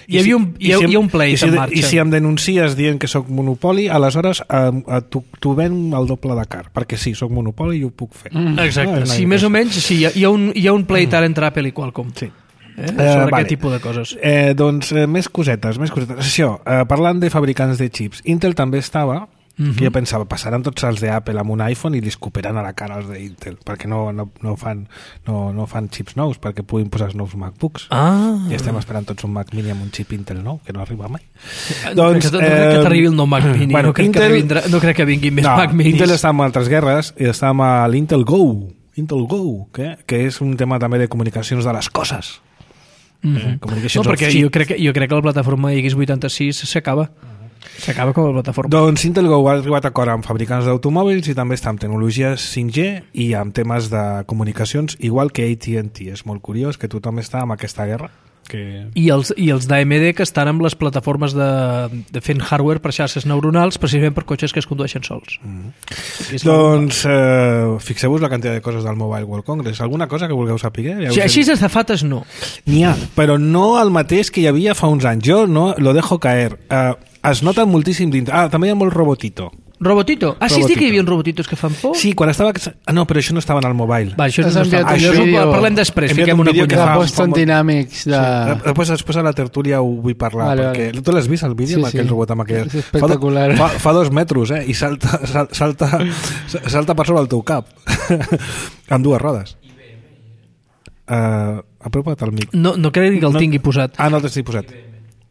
Hi havia un, hi, ha, si, hi ha un pleit si, en marxa. I si em denuncies dient que sóc monopoli, aleshores eh, t'ho ven el doble de car, perquè sí, sóc monopoli i ho puc fer. Mm. Exacte. No, sí, més o menys, sí, hi ha, hi ha un, hi ha un pleit ara entre Apple i Qualcomm. Sí. Eh? Sobre uh, aquest vale. tipus de coses. Eh, doncs eh, més cosetes, més cosetes. Això, eh, parlant de fabricants de xips, Intel també estava, uh-huh. que jo pensava, passaran tots els d'Apple amb un iPhone i li escopiran a la cara els d'Intel, perquè no, no, no, fan, no, no fan xips nous, perquè puguin posar els nous MacBooks. Ah. I estem esperant tots un Mac Mini amb un xip Intel nou, que no arriba mai. No, doncs, no, no crec que t'arribi el nou Mac Mini, bueno, no, crec Intel, que vindrà, no crec que vinguin més no, Mac Minis. Intel està en altres guerres i està amb l'Intel Go, Intel Go, que, que és un tema també de comunicacions de les coses. Mm-hmm. eh, no, perquè jo crec, que, jo crec que la plataforma X vuitanta-sis s'acaba s'acaba com a plataforma. Doncs Intel Go ha arribat a acord amb fabricants d'automòbils i també està amb tecnologies cinc G i amb temes de comunicacions, igual que A T and T. És molt curiós que tothom està amb aquesta guerra. Que... I els, i els d'A M D que estan amb les plataformes de, de fent hardware per xarxes neuronals precisament per cotxes que es condueixen sols. Mm. Doncs eh, fixeu-vos la quantitat de coses del Mobile World Congress. Alguna cosa que vulgueu saber? Ja sí, així de fates no. N'hi ha, però no el mateix que hi havia fa uns anys. Jo no lo dejo caer. Eh, es nota moltíssim dintre. Ah, també hi ha molt robotito. Robotito? Ah, sí, sí que hi havia uns robotitos que fan por? Sí, quan estava... Ah, no, però això no estava en el mobile. Va, això no estava... Això ho parlem després, fiquem una punyada. De Boston Dynamics. De... Sí. Després, després a la tertúlia ho vull parlar, vale, perquè vale. Tu l'has vist el vídeo sí, amb aquell sí. robot amb aquell... És espectacular. Fa, fa, fa dos metres, eh? I salta, salta, salta per sobre el teu cap. Amb dues rodes. Uh, apropa't al mic. No, no crec que el no, tingui posat. Ah, no t'estic posat.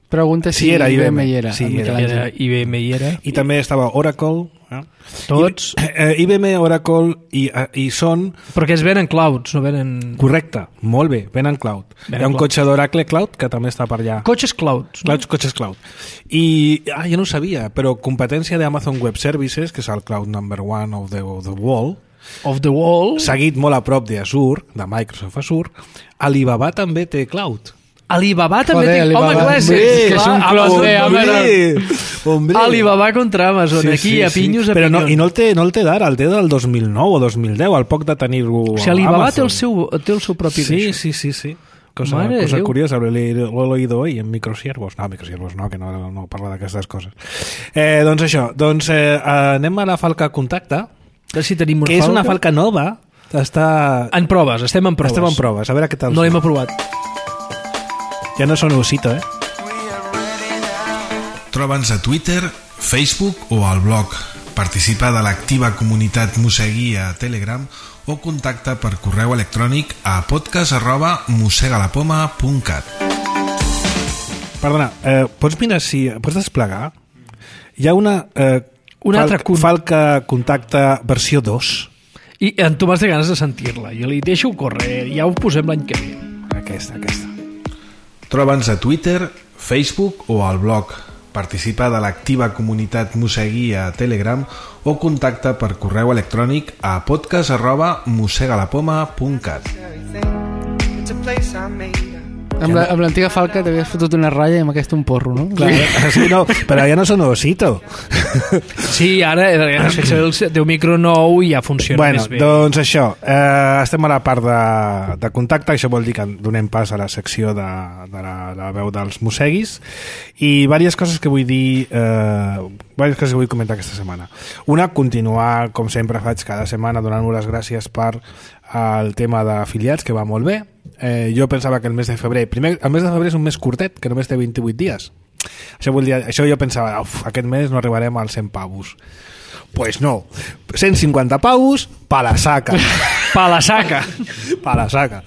Pregunta si Sí, era I B M. I B M hi era. Sí, el era. Michelangelo. Era I B M hi era. I també estava Oracle. Eh? Tots. I, eh, I B M, Oracle i, eh, i són... Perquè es venen clouds, no venen... Correcte, molt bé, venen cloud. Venen Hi ha un cloud. cotxe d'Oracle Cloud que també està per allà. Cotxes clouds. No? Clouds, cotxes cloud. I, ah, jo no ho sabia, però competència d'Amazon Web Services, que és el cloud number one of the, of the world, Of the wall. seguit molt a prop d'Azure, de Microsoft Azure, Alibaba també té cloud. Alibaba també Joder, té... Alibaba. Home, clar, és, Hombre, és, que és clar, un cloud Amazon- de Amazon. Hombre. Alibaba contra Amazon, aquí a pinyos a Però no, pinyons. i no el té, no el té d'ara, el té del dos mil nou o dos mil deu, al poc de tenir-lo O sigui, Alibaba té Amazon. el, seu, té el seu propi Sí, d'això. sí, sí, sí. Cosa, Mare de cosa Déu. curiosa, lo he, leído- lo he oído hoy en Microsiervos. No, Microsiervos no, que no, no parla d'aquestes coses. Eh, doncs això, doncs eh, anem a la falca contacte, A veure si tenim una que és una falca. falca nova. Està... En proves, estem en proves. Estem en proves, a veure què tal. No surt. l'hem aprovat. Ja no són osito, eh? Troba'ns a Twitter, Facebook o al blog. Participa de l'activa comunitat Mosegui a Telegram o contacta per correu electrònic a podcast arroba mosegalapoma punt cat. Perdona, eh, pots mirar si... Pots desplegar? Hi ha una... Eh, Un altre falca, con- falca contacte versió dos. I en Tomàs té ganes de sentir-la. Jo li deixo córrer, ja ho posem l'any que ve. Aquesta, aquesta. Troba'ns a Twitter, Facebook o al blog. Participa de l'activa comunitat Mosegui a Telegram o contacta per correu electrònic a podcast arroba mosegalapoma punt cat. Amb la- amb l'antiga falca t'havies fotut una ratlla i amb aquesta un porro, no? Clar, sí, no, però ja no són osito. Sí, ara eh, has fet servir el teu micro nou i ja funciona Bueno, més bé. doncs això, eh, estem a la part de, de contacte, això vol dir que donem pas a la secció de, de la, la veu dels Moseguis i diverses coses que vull dir, eh, diverses coses que vull comentar aquesta setmana. Una, continuar, com sempre faig cada setmana, donant-vos les gràcies per el tema d'afiliats, que va molt bé. Eh, jo pensava que el mes de febrer, primer, el mes de febrer és un mes curtet, que només té vint-i-vuit dies. Això, vol dir, això jo pensava, uf, aquest mes no arribarem als cent pavos. Pues no, cent cinquanta pavos, pa la saca. Pa la saca. Pa la saca.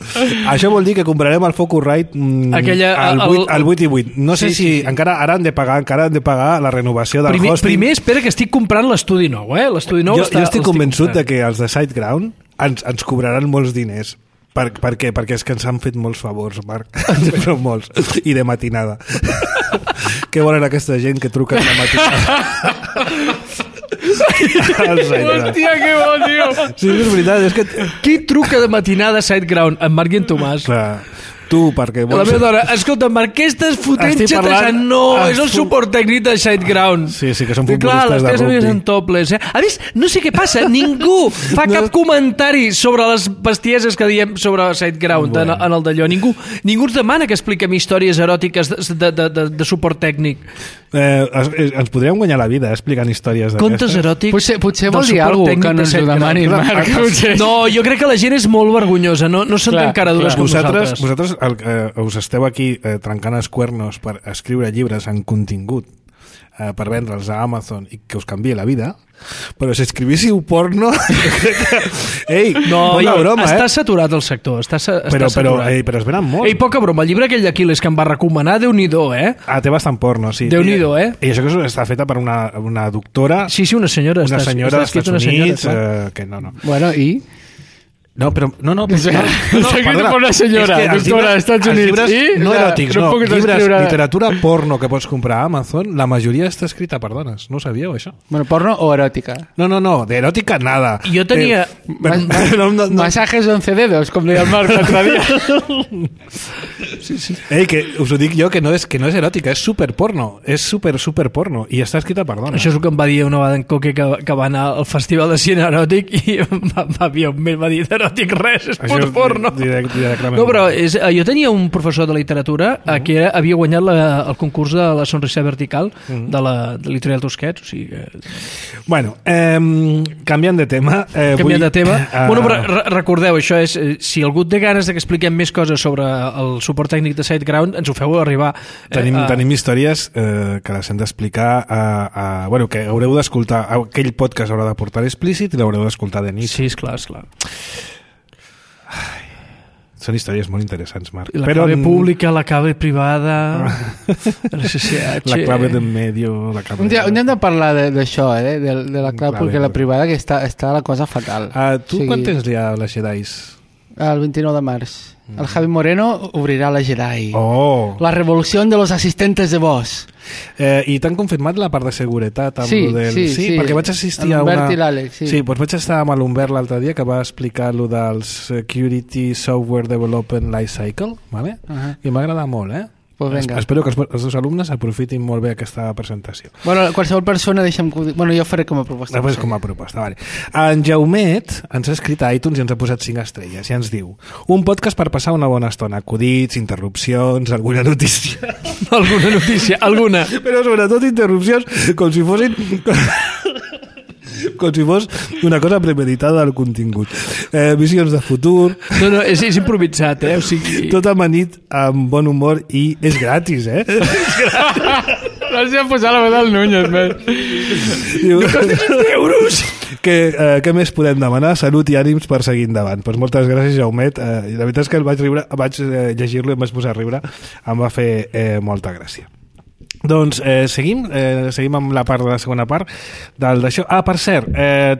Això vol dir que comprarem el Focusrite mm, Aquella- al, el- vuit, al vuit i vuit. No sé Sí, si sí, sí. encara ara han de pagar, encara han de pagar la renovació del Primer, hosting. primer espera que estic comprant l'estudi nou, eh? L'estudi nou jo, està, jo estic convençut de comprant. que els de SiteGround ens, ens cobraran molts diners. Per, per què? Perquè és que ens han fet molts favors, Marc. Però molts. I de matinada. Què volen aquesta gent que truca de matinada? El SiteGround. Hòstia, que bo, tio! Sí, és veritat. És que... Qui truca de matinada a SiteGround? En Marc i en Tomàs. Clar, tu, perquè La vols... meva dona, escolta, Marc, què estàs fotent Estic xatejant? parlant- No, és el Estic- suport tècnic de SiteGround. Sí, sí, que són I clar, futbolistes les de teves amigues rugby. en topless, eh? A més, no sé què passa, ningú fa No. cap comentari sobre les bestieses que diem sobre SiteGround Bueno. en, en el d'allò. Ningú, ningú ens demana que expliquem històries eròtiques de, de, de, de, de suport tècnic. Eh, es- es- ens podríem guanyar la vida eh, explicant històries d'aquestes. Contes eròtics Potser, potser del vol dir suport alguna tècnic cosa que no de ens ho SiteGround. demanin, Clar, Marc. clar. Potser. No, jo crec que la gent és molt vergonyosa, no, no són Clar, tan caradures clar. com Vosaltres, nosaltres. vosaltres el, eh, us esteu aquí eh, trencant els cuernos per escriure llibres en contingut eh, per vendre'ls a Amazon i que us canvie la vida, però si escrivíssiu porno jo crec que... Ei, No, poca ja, broma, està eh? saturat el sector, està, sa- està Però, però, saturat. ei, però es venen molt. Ei, poca broma, el llibre aquell d'Aquiles que em va recomanar, Déu-n'hi-do, eh? Ah, té bastant porno, sí. Déu-n'hi-do, eh? I això que està feta per una, una doctora, Sí, sí, una senyora. una està- senyora està dels escrit Estats una senyora, Units, clar. eh, que no, no. Bueno, i... No, però... No, no, O sigui, no, no, està escrit perdona. per una senyora, És que els doctora dels Estats els Units, llibres i no la- eròtics, no no, puc llibres, escriure- literatura porno que pots comprar a Amazon, la majoria està escrita per dones. No ho sabíeu, això? Bueno, porno o eròtica. No, no, no, de eròtica nada. Jo tenia- Eh, però- no, no, no. Masajes de once dedos, com deia el Marc l'altre dia. Ei, que us ho dic jo, que no és, que no és eròtica, és super porno. És super, super porno. I està escrita per dones. Això és el que em va dir una vegada en Coque que, que va anar al Festival de Cine Eròtic i em va, va, em va dir d'eròtic res, és Això pur és porno. direct- directament. No, però és, eh, jo tenia un professor de literatura uh -huh. que era, havia guanyat la, el concurs de la sonrisa vertical uh -huh. de la de l'editorial Tusquets, o sigui que... Bueno, eh, canviant de tema... Eh, Canviant vull, de tema. eh, Bueno, però re recordeu, això és, eh, si algú té ganes de que expliquem més coses sobre el suport tècnic de SiteGround, ens ho feu arribar. Tenim, eh, a- tenim històries eh, que les hem d'explicar a, a, bueno, que haureu d'escoltar aquell podcast haurà de portar explícit i l'haureu d'escoltar de nit. Sí, esclar, esclar. Són històries molt interessants, Marc. La clave pública, la clave privada, el C C H... La clave d'en medio... La clave un, dia, un dia hem de parlar d'això, eh? de, de la clave pública i la privada, que està, està la cosa fatal. Uh, tu o sigui, quan tens ja les Jedis? El vint-i-nou de març. El Javi Moreno obrirà la Jedi. Oh! La revolució de los asistentes de voz. Eh, I t'han confirmat la part de seguretat amb sí, lo del... sí, sí, sí, perquè vaig assistir a una... L'Hubert i l'Àlex, sí. Sí, doncs vaig estar amb l'Humbert l'altre dia que va explicar lo del Security Software Development Life Cycle, ¿vale? Uh -huh. I m'ha agradat molt, eh? Pues venga. Espero que els, els dos alumnes aprofitin molt bé aquesta presentació. Bueno, qualsevol persona, deixa'm... Bueno, jo ho faré com a proposta. Després com a proposta, vale. En Jaumet ens ha escrit a iTunes i ens ha posat cinc estrelles i ens diu: un podcast per passar una bona estona, acudits, interrupcions, alguna notícia. alguna notícia, alguna. Però sobretot interrupcions com si fossin... com si fos una cosa premeditada del contingut. Eh, visions de futur... No, no, és, és improvisat, eh? O sigui... Tot amanit amb bon humor i és gratis, eh? És gratis. Gràcies a posar la veu del Núñez, més. Diu, euros! Que, eh, què més podem demanar? Salut i ànims per seguir endavant. Pues moltes gràcies, Jaumet. Eh, la veritat és que el vaig, riure, vaig eh, llegir-lo i em vaig posar a riure. Em va fer eh, molta gràcia. Doncs eh, seguim eh, seguim amb la part de la segona part del d'això. Ah, per cert, eh,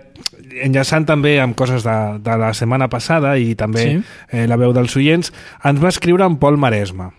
enllaçant també amb coses de, de la setmana passada i també sí. eh, la veu dels oients, ens va escriure en Pol Maresma.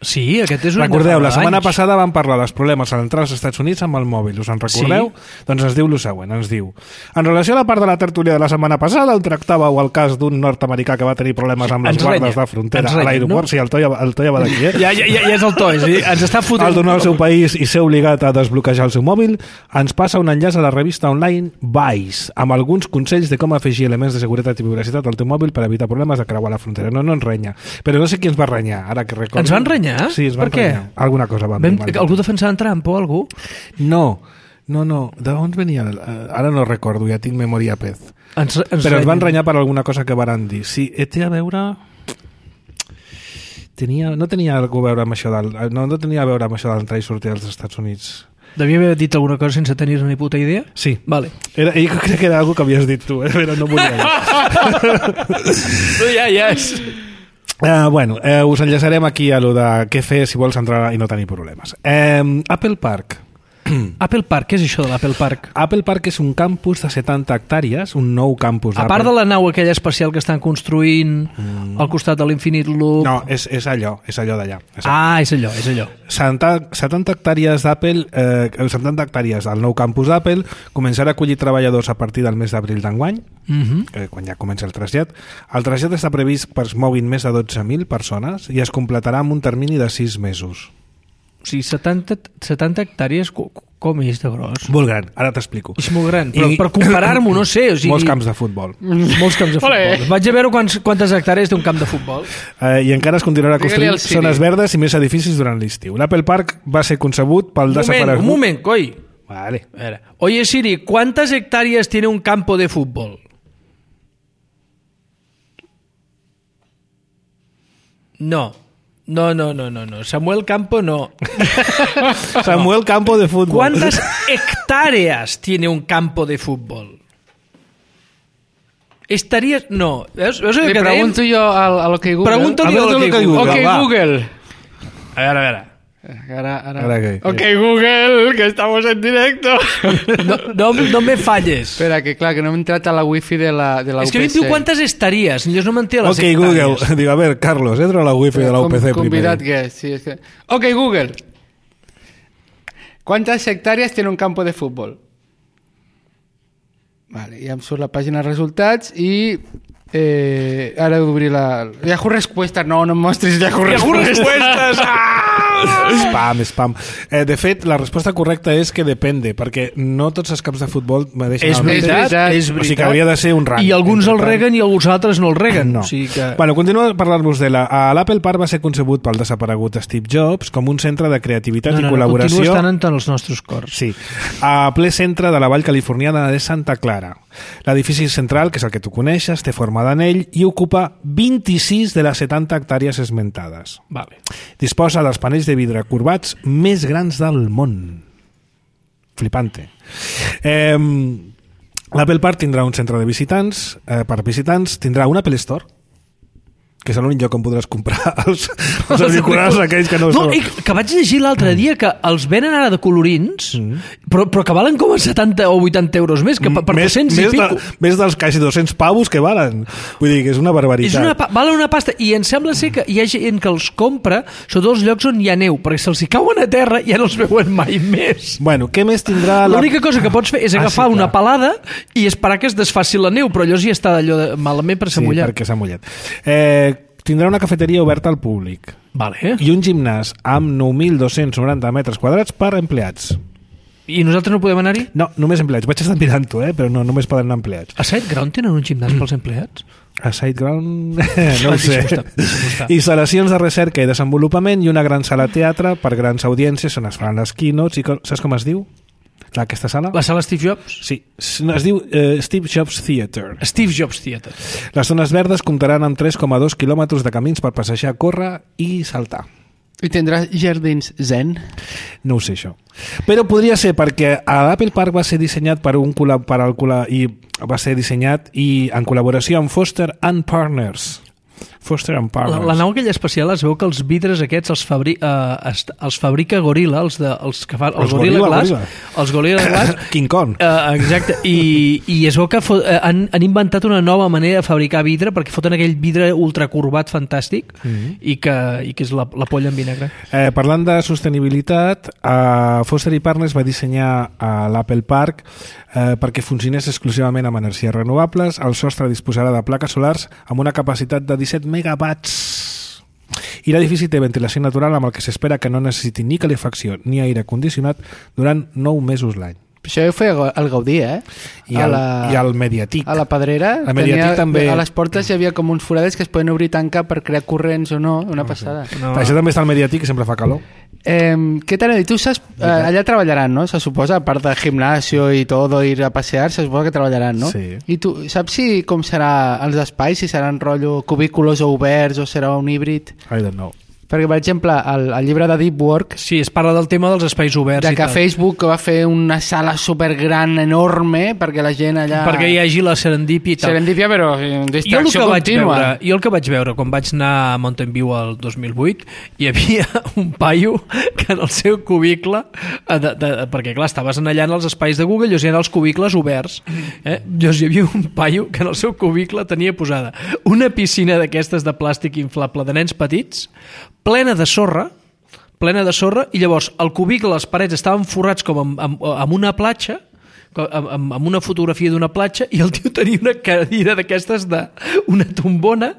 Sí, aquest és un... Recordeu, la setmana anys. passada vam parlar dels problemes a l'entrada als Estats Units amb el mòbil, us en recordeu? Sí. Doncs ens diu el següent, ens diu: en relació a la part de la tertúlia de la setmana passada on tractàveu el cas d'un nord-americà que va tenir problemes amb les ens guardes renya. de frontera renya, a l'aeroport, no? Sí, el to ja, el to ja va d'aquí, eh? Ja, ja, ja, ja és el to, sí. Ens està fotent... Al donar al seu país i ser obligat a desbloquejar el seu mòbil, ens passa un enllaç a la revista online Vice, amb alguns consells de com afegir elements de seguretat i privacitat al teu mòbil per evitar problemes de creuar la frontera. No, no ens renya. Però no sé qui ens va renyar, ara que recordo. Ens van renyar? Sí, ens van per què? Alguna cosa vam, vam, vam algú defensant Trump o algú? No, no, no. D'on venia? Ara no recordo, ja tinc memòria pez. Ens, ens Però ens van renyar per alguna cosa que varen dir. Sí, té a veure... Tenia, no tenia algú a veure amb això del, no, no tenia a veure amb això d'entrar i sortir als Estats Units. Devia haver dit alguna cosa sense tenir ni puta idea? Sí. Vale. Era, jo crec que era algo que havies dit tu, eh? Però no volia dir. No, ja, ja és... Uh, bueno, uh, us enllaçarem aquí a lo de què fer si vols entrar i no tenir problemes. Um, Apple Park. Apple Park, què és això de l'Apple Park? Apple Park és un campus de setanta hectàrees, un nou campus d'Apple. A part de la nau aquella espacial que estan construint mm. al costat de l'Infinite Loop... No, és, és allò, és allò d'allà. Ah, és allò, és allò. setanta hectàrees d'Apple, eh, setanta hectàrees al nou campus d'Apple, començarà a acollir treballadors a partir del mes d'abril d'enguany, mm-hmm. eh, quan ja comença el trasllat. El trasllat està previst per es moguin més de dotze mil persones i es completarà en un termini de sis mesos. O sigui, setanta, setanta hectàrees, com és de gros? Molt gran, ara t'explico. És molt gran, però I... per comparar-m'ho, no sé. O sigui... Molts camps de futbol. Molts camps de futbol. Vaig a veure quants, quantes hectàrees té un camp de futbol. Eh, I encara es continuarà construint zones verdes i més edificis durant l'estiu. L'Apple Park va ser concebut pel desaparegut... Un moment, coi. Vale. A veure. Oye, Siri, ¿cuántas hectáreas tiene un campo de fútbol? No. No, no, no, no, no. Samuel Campo no. Samuel Campo de fútbol. ¿Cuántas hectáreas tiene un campo de fútbol? Estarías... No. ¿Ves? ¿Ves Le pregunto yo a, a lo que Google. Pregúntale a, a lo que Google. Google. Ok, va. Google. A ver, a ver. Ahora, ahora. ahora qué, ok, qué. Google, que estamos en directo. No, no, no me falles. Espera, que clar, que no m'he entrat a la wifi de la, de la es U P C. És que em diu quantes estaries, jo no m'entén les ok, hectàrees. Google, digo, a ver, Carlos, entra a la wifi de la U P C Com, convidat primero. que és, sí, és que... Ok, Google. ¿Cuántas hectáreas tiene un campo de fútbol? Vale, ja em surt la pàgina de resultats i... Eh, ara he d'obrir la... Yahoo Respuestas, no, no em mostris Yahoo Respuestas. Yahoo Respuestas! Ah! Spam, spam. Eh, de fet, la resposta correcta és que depende, perquè no tots els camps de futbol mereixen és el mateix. veritat, és veritat. O sigui que hauria de ser un rang. I alguns el reguen i alguns altres no el reguen. No. O sigui que... Bueno, continuo a parlar-vos de la... L'Apple Park va ser concebut pel desaparegut Steve Jobs com un centre de creativitat no, no, i col·laboració... No, continua estant en els nostres cors. Sí. A ple centre de la vall californiana de Santa Clara. L'edifici central, que és el que tu coneixes, té forma d'anell i ocupa vint-i-sis de les setanta hectàrees esmentades. Vale. Disposa dels panells de vidre corbats més grans del món. Flipante. Eh, L'Apple Park tindrà un centre de visitants, eh, per visitants, tindrà un Apple Store. que és l'únic lloc on podràs comprar els, els auriculars aquells que no... No, i que vaig llegir l'altre dia que els venen ara de colorins, mm. però, però que valen com a setanta o vuitanta euros més, que per, per més, dos-cents més i pico. De, més dels quasi dos-cents pavos que valen. Vull dir que és una barbaritat. És una, valen una pasta, i em sembla ser que hi ha gent que els compra, sobretot els llocs on hi ha neu, perquè se'ls hi cauen a terra i ja no els veuen mai més. Bueno, què més tindrà... La... L'única cosa que pots fer és agafar ah, sí, una palada i esperar que es desfaci la neu, però allò ja està d'allò de, malament per s'ha sí, mullat. Sí, perquè s'ha mullat. Eh, tindrà una cafeteria oberta al públic. Vale. I un gimnàs amb nou mil dos-cents noranta metres quadrats per empleats. I nosaltres no podem anar-hi? No, només empleats. Vaig estar mirant-ho, eh? Però no, només poden anar empleats. A SiteGround tenen un gimnàs pels empleats? A SiteGround... no ho sé. Instal·lacions de recerca i desenvolupament i una gran sala teatre per grans audiències on es fan les keynotes i... Saps com es diu? Aquesta sala? La sala Steve Jobs? Sí, es diu uh, Steve Jobs Theater. Steve Jobs Theater. Les zones verdes comptaran amb tres coma dos quilòmetres de camins per passejar, córrer i saltar. I tindrà jardins zen? No ho sé, això. Però podria ser perquè l'Apple Park va ser dissenyat per un col·lab, per al col·lab, i va ser dissenyat i en col·laboració amb Foster and Partners. Foster and Partners. La, la nau aquella especial es veu que els vidres aquests els, fabri, uh, els fabrica Gorilla, els, de, els que fan el els Gorilla, Gorilla Glass, Gorilla. els Gorilla Glass. King Kong. Uh, exacte, i, i es veu que fot, uh, han, han inventat una nova manera de fabricar vidre perquè foten aquell vidre ultracurvat fantàstic mm -hmm. i, que, i que és la, la polla en vinagre. Eh, parlant de sostenibilitat, uh, Foster i Partners va dissenyar uh, l'Apple Park eh, perquè funcionés exclusivament amb energies renovables. El sostre disposarà de plaques solars amb una capacitat de disset megawatts. I l'edifici té ventilació natural amb el que s'espera que no necessiti ni calefacció ni aire condicionat durant nou mesos l'any. Això ho feia el Gaudí, eh? I el, la, i el Mediatic. A la Pedrera. El Mediatic tenia, també... A les portes hi havia com uns forades que es poden obrir i tancar per crear corrents o no. Una no, passada. Sí. No. Això també està al Mediatic, que sempre fa calor. Eh, què t'han dit? Tu saps... Eh, allà treballaran, no? Se suposa, a part de gimnasio i tot, ir a passear, se suposa que treballaran, no? Sí. I tu saps si com serà els espais? Si seran rotllo cubículos o oberts o serà un híbrid? I don't know. Perquè, per exemple, el, el llibre de Deep Work... Sí, es parla del tema dels espais oberts. De i que tal. Facebook va fer una sala supergran, enorme, perquè la gent allà... Perquè hi hagi la serendipia i tal. Serendipia, però distracció jo contínua. Veure, jo el que vaig veure quan vaig anar a Mountain View el dos mil vuit, hi havia un paio que en el seu cubicle... De, de, perquè, clar, estaves allà en els espais de Google, llavors hi havia els cubicles oberts. Eh? Llavors hi havia un paio que en el seu cubicle tenia posada una piscina d'aquestes de plàstic inflable de nens petits, plena de sorra, plena de sorra, i llavors el cubicle, les parets estaven forrats com amb, amb, amb una platja, amb, amb una fotografia d'una platja, i el tio tenia una cadira d'aquestes d'una tombona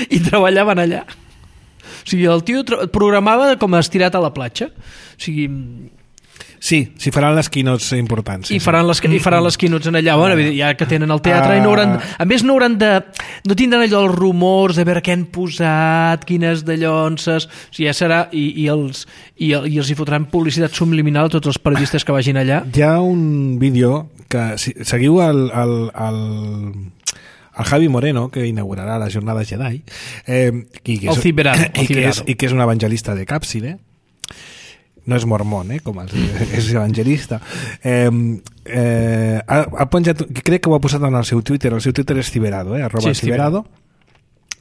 i treballaven allà. O sigui, el tio programava com estirat a la platja. O sigui... Sí, si faran les keynotes importants. Sí, I, faran les, I faran les keynotes en allà, bueno, ja que tenen el teatre, uh, i no hauran, a més no hauran de... No tindran allò els rumors de veure què han posat, quines dallonses... O sigui, ja serà... I, i, els, i, i els hi fotran publicitat subliminal a tots els periodistes que vagin allà. Hi ha un vídeo que... Si, seguiu el... el, el el Javi Moreno, que inaugurarà la jornada Jedi, eh, i, que és, el ciberado, i, que és, i que és un evangelista de Càpside. No és mormón, eh, com els, és evangelista. Eh, eh, ha, ha penjat, crec que ho ha posat en el seu Twitter, el seu Twitter és Ciberado, eh, arroba sí, Ciberado.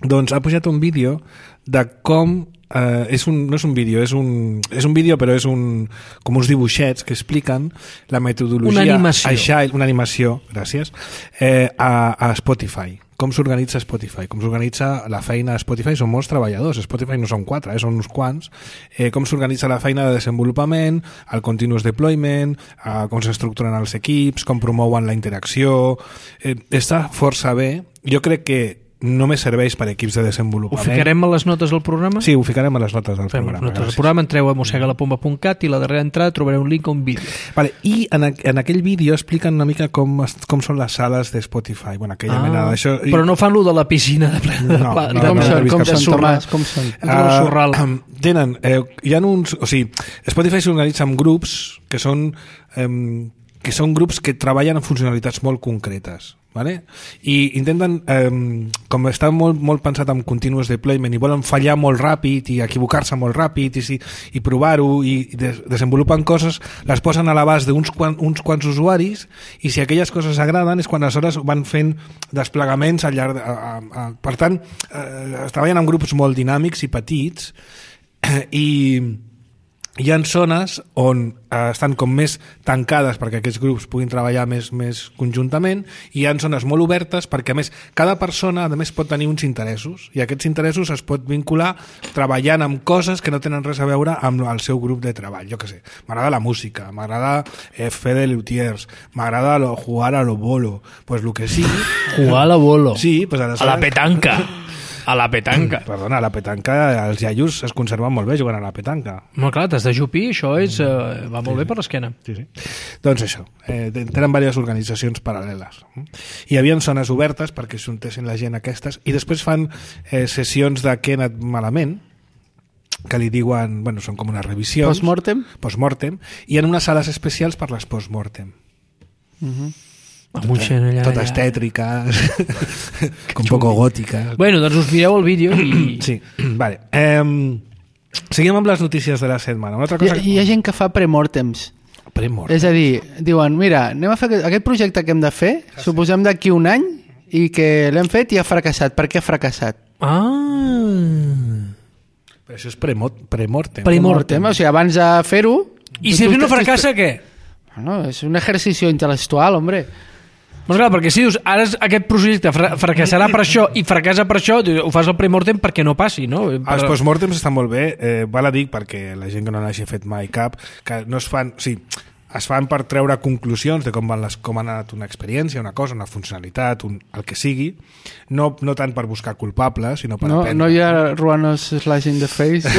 Doncs ha pujat un vídeo de com Uh, és un, no és un vídeo, és un, és un vídeo però és un, com uns dibuixets que expliquen la metodologia una animació, Agile, una animació gràcies, eh, a, a Spotify, com s'organitza Spotify, com s'organitza la feina a Spotify. Són molts treballadors, Spotify no són quatre, eh, són uns quants, eh, com s'organitza la feina de desenvolupament, el continuous deployment, eh, com s'estructuren els equips, com promouen la interacció, eh, està força bé. Jo crec que només serveix per equips de desenvolupament. Ho ficarem a les notes del programa? Sí, ho ficarem a les notes del Fem programa. Notes del programa, entreu a mossega la pomba punt cat i la darrera entrada trobareu un link a un vídeo. Vale, i en, en aquell vídeo expliquen una mica com, com són les sales de Spotify. Bueno, aquella ah, mena d'això. Però no fan lo de la piscina de plena de, no, pla, no, de, com de, són, de, com de són, Tomàs, com són? Uh, uh, tenen, eh, hi ha uns... O sigui, Spotify s'organitza en grups que són... Eh, que són grups que treballen en funcionalitats molt concretes. vale? I intenten, eh, com està molt, molt pensat en continuous deployment i volen fallar molt ràpid i equivocar-se molt ràpid i, i provar-ho i des, desenvolupen coses, les posen a l'abast d'uns quan, uns quants usuaris i si aquelles coses agraden és quan aleshores van fent desplegaments al llarg de, a, a, per tant, eh, es treballen en grups molt dinàmics i petits eh, i hi ha zones on eh, estan com més tancades perquè aquests grups puguin treballar més, més conjuntament i hi ha zones molt obertes perquè a més cada persona a més pot tenir uns interessos i aquests interessos es pot vincular treballant amb coses que no tenen res a veure amb el seu grup de treball. Jo què sé, m'agrada la música, m'agrada eh, fer de lutiers, m'agrada lo, jugar a lo bolo, pues lo que sigui. Jugar a lo bolo. Sí, pues a la petanca. A la petanca. Perdona, a la petanca els iaios es conserven molt bé jugant a la petanca. Molt clar, t'has de jupir, això és, eh, va molt sí, bé per l'esquena. Sí, sí. Doncs això, eh, tenen diverses organitzacions paral·leles. Hi havia zones obertes perquè s'untessin la gent aquestes i després fan eh, sessions de què ha anat malament, que li diuen, bueno, són com unes revisions. Postmortem? Postmortem, i en unes sales especials per les postmortem. Mhm. Tot, allà, totes allà. tètriques com poco gòtiques. Bueno, doncs us mireu el vídeo i... Sí, vale. Um, seguim amb les notícies de la setmana. Una altra cosa... Hi, hi ha gent que fa premortems. Premortems. És a dir, diuen, mira, anem a fer aquest projecte que hem de fer, ah, sí. suposem d'aquí un any, i que l'hem fet i ha fracassat. Per què ha fracassat? Ah... Però això és premortem. Premortem. Premortem, o sigui, abans de fer-ho... I si no fracassa, què? Bueno, és un exercici intel·lectual, hombre. Doncs clar, perquè si dius, ara aquest projecte fra fracassarà per això i fracassa per això, ho fas al premortem perquè no passi, no? Per... Els postmortems estan molt bé, eh, val a dir perquè la gent que no n'hagi fet mai cap, que no es fan... O sigui, es fan per treure conclusions de com, van les, com ha anat una experiència, una cosa, una funcionalitat, un, el que sigui, no, no tant per buscar culpables, sinó per no, aprendre. No hi ha ruanos slashing the face?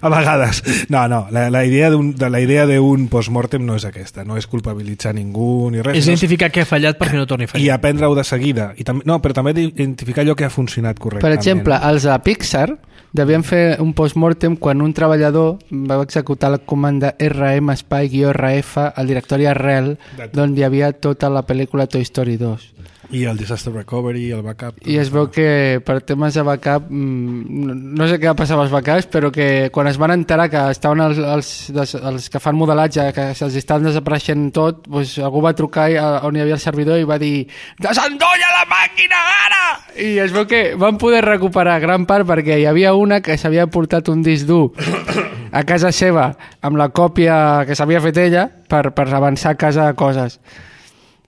A vegades. No, no, la, la idea d'un de la idea d'un postmortem no és aquesta, no és culpabilitzar ningú ni res. És identificar què ha fallat perquè no torni a fallar. I aprendre-ho de seguida. I també, no, però també identificar allò que ha funcionat correctament. Per exemple, els de Pixar devien fer un postmortem quan un treballador va executar la comanda R M espai-R F al directori arrel d'on hi havia tota la pel·lícula Toy Story dos. I el disaster recovery, el backup... I es veu que per temes de backup, no sé què va passar amb els backups, però que quan es van enterar que estaven els, els, els que fan modelatge, que se'ls estaven desapareixent tot, doncs algú va trucar on hi havia el servidor i va dir desendolla la màquina ara! I es veu que van poder recuperar gran part perquè hi havia una que s'havia portat un disc dur a casa seva amb la còpia que s'havia fet ella per, per avançar a casa coses.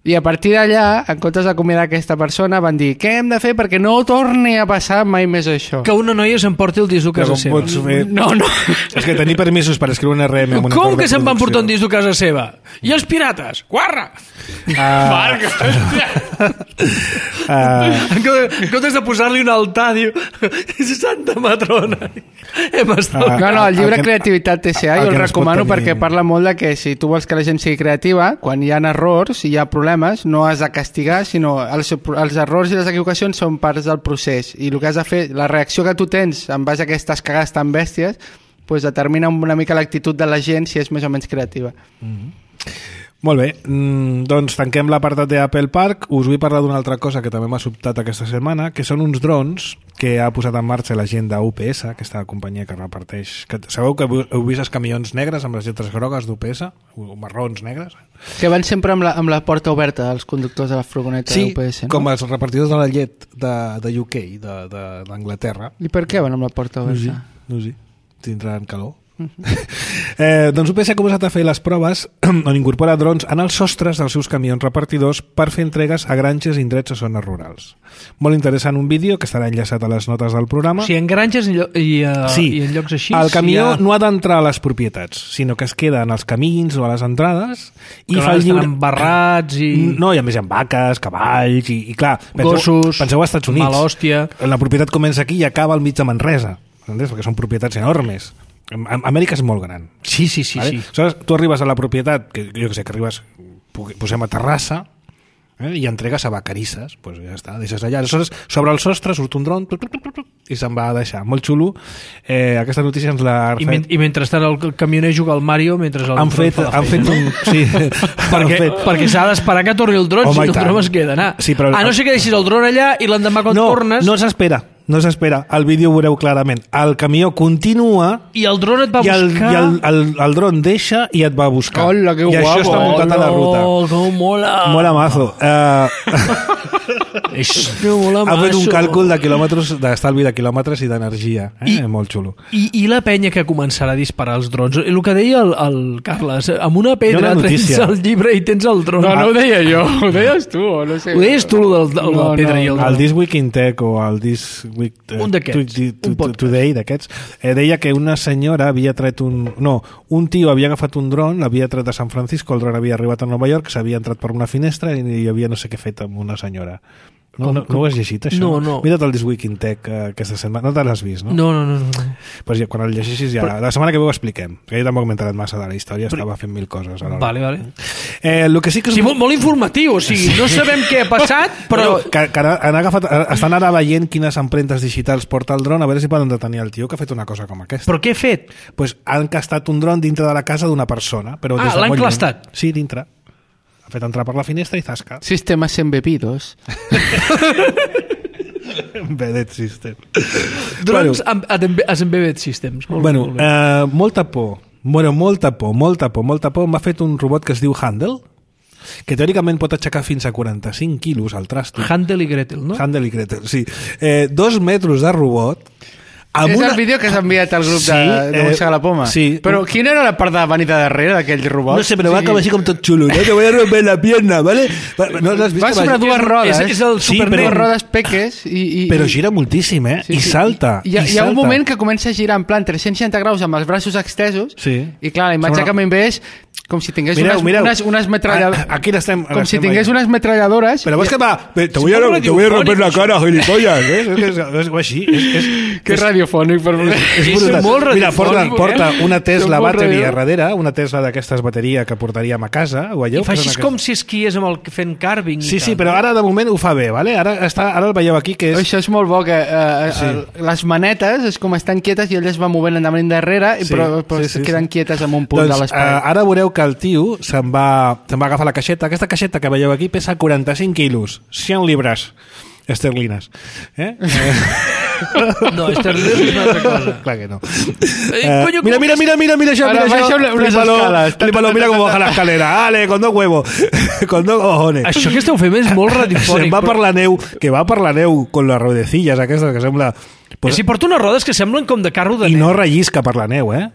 I a partir d'allà, en comptes d'acomiadar aquesta persona, van dir què hem de fer perquè no torni a passar mai més això. Que una noia s'emporti el disc dur a casa seva. Fer... No, no. És que tenir permisos per escriure un R M... Amb com que se'n van portar un disc dur a casa seva? I els pirates? Guarra! Uh... Marc, hòstia! Uh... En comptes de posar-li un altar, diu Santa Matrona. Hem estat... Uh, no, no, el llibre el que... Creativitat T C A jo el, el recomano perquè parla molt de que si tu vols que la gent sigui creativa, quan hi ha errors, hi ha problemes, no has de castigar, sinó els, els errors i les equivocacions són parts del procés i el que has de fer, la reacció que tu tens en base a aquestes cagades tan bèsties pues determina una mica l'actitud de la gent si és més o menys creativa. Mm-hmm. Molt bé, mm, doncs tanquem l'apartat d'Apple Park. Us vull parlar d'una altra cosa que també m'ha sobtat aquesta setmana, que són uns drons que ha posat en marxa la gent d'U P S, aquesta companyia que reparteix... Que, sabeu que heu vist els camions negres amb les lletres grogues d'U P S? O marrons negres? Que van sempre amb la, amb la porta oberta, els conductors de la furgoneta sí, d'U P S, no? Com els repartidors de la llet de, de U K, d'Anglaterra. I per què van amb la porta oberta? No sé, no sé. Tindran calor. eh, doncs U P S ha començat a fer les proves on incorpora drons en els sostres dels seus camions repartidors per fer entregues a granges i indrets a zones rurals. Molt interessant un vídeo que estarà enllaçat a les notes del programa. O sigui, en granges i, i, uh, sí, i en llocs així... El camió ha... no ha d'entrar a les propietats, sinó que es queda en els camins o a les entrades i que fa el lliure... embarrats i... No, i a més hi ha vaques, cavalls i, i clar, gossos, penseu als Estats Units. Malòstia. La propietat comença aquí i acaba al mig de Manresa, entens? Perquè són propietats enormes. Amèrica és molt gran. Sí, sí, sí. Vale? sí. Aleshores, tu arribes a la propietat, que jo que sé, que arribes, posem a Terrassa, eh? I entregues a vacarisses, pues ja està, deixes allà. Aleshores, sobre el sostre surt un dron tuc, tuc, tuc, tuc, i se'n va a deixar. Molt xulo. Eh, aquesta notícia ens l'ha... I, men I mentrestant el camioner juga al Mario mentre el han dron fet, fa la han feina. fet un... Sí, perquè fet... perquè s'ha d'esperar que torni el dron, Home, si no i el tant. dron es queda anar. Sí, però... A no ser que deixis el dron allà i l'endemà quan no, tornes... No s'espera, no s'espera. El vídeo ho veureu clarament. El camió continua i el dron et va i el, buscar... i el, el, el dron deixa i et va buscar. Hola, que I guapo. això està muntat a la ruta. Oh, com mola! Mola mazo. Uh, Això mola ha fet un mazo. càlcul de quilòmetres, d'estalvi de quilòmetres i d'energia. Eh? I- Molt xulo. I, I la penya que començarà a disparar els drons. El que deia el, el Carles, amb una Hi ha pedra una trens notícia. el llibre i tens el dron. No, no ho deia jo, ho deies tu, o no sé. Ho deies tu, el de, de la No, pedra no, i el El dron. This Week in Tech o el This Week eh, Un d'aquests, to- to- un podcast. Today d'aquests eh, deia que una senyora havia tret un... No, un tio havia agafat un dron, l'havia tret de San Francisco, el dron havia arribat a Nova York, s'havia entrat per una finestra i hi havia no sé què fet amb una senyora. No, no, no ho has llegit, això? No, no. Mira't el This Week in Tech eh, aquesta setmana. No te l'has vist, no? No, no, no. no. Pues ja, quan el llegeixis ja... Però- La setmana que ve ho expliquem. Que jo tampoc m'he enterat massa de la història, Però- estava fent mil coses alhora. Vale, vale. Eh, el que sí que és... Sí, molt, molt informatiu, o sigui, no sabem què ha passat, però... Però que, que han agafat, estan ara veient quines empremtes digitals porta el dron, a veure si poden detenir el tio que ha fet una cosa com aquesta. Però què he fet? Pues han encastat un dron dintre de la casa d'una persona. Però Ah, des de l'han molt lluny. enclastat? Sí, dintre. Ha fet entrar per la finestra i zasca. Sistemes embebidos. Embedded system. Drons amb, amb, amb embedded systems. Molt, Bueno, molt bé. eh, molta por. Bueno, molta por, molta por, molta por. M'ha fet un robot que es diu Handel, que teòricament pot aixecar fins a quaranta-cinc quilos al trasto. Hansel i Gretel, no? Handel i Gretel, sí. Eh, dos metres de robot. Amb És una... el vídeo que s'ha enviat al grup Sí, de, de eh, Mossega la Poma. sí. Però quina era la part de venir de darrere d'aquell robot? No sé, però va Sí. com així com tot xulo. No te voy a romper la pierna, ¿vale? No l'has vist? Va que sobre dues rodes. És, és el Sí, Super però- Dues rodes peques i... i Però i- gira moltíssim, eh? I salta. Hi ha, i hi ha un salta. moment que comença a girar en plan tres-cents seixanta graus amb els braços extesos Sí. i clar, la imatge Sembla- que m'hi ve és com si tingués Mireu, unes, mireu. unes, unes metralladores... A- aquí l'estem- Com si l'estem tingués veient. unes metralladores... Pero ves que va... Te És voy a, molt te voy a romper la radiofònic, cara, gilipollas. ¿eh? És, és, és, és així. És, és, Que és, radiofònic, per favor. és És brutal. molt Mira, porta, radiofònic, porta eh? una Tesla És molt battery a radio. darrere, una Tesla d'aquestes bateria que portaríem a casa. Ho veieu? I fa així Posen com aquesta- si esquies amb el fent carving. i Sí, sí, tal. però ara de moment ho fa bé, ¿vale? Ara, està, ara el veieu aquí, que és... Això és molt bo, que eh, Sí. sí. les manetes és com estan quietes i elles van movent endavant i endarrere, Sí, sí, però, però sí, sí, sí, queden sí. quietes en un punt Doncs, de l'espai. eh, ara veureu que el tio se'n va, se'n va agafar la caixeta. Aquesta caixeta que veieu aquí pesa quaranta-cinc quilos, cent libres esterlines. Eh? No, esterlines és una altra cosa. Clar que no. Eh, Eh, coño, mira, com- mira, mira, mira, mira això, Ahora mira això. baixa una- unes Flípalo, escales. flípalo, mira com baja la escalera. Ale, con dos huevos, con dos cojones. Això que esteu fent és molt radiofònic. Se'n va per però- la neu, que va per la neu con les rodecilles aquestes que sembla... Pues, si porta unes rodes que semblen com de carro de I neu. no rellisca per la neu, eh?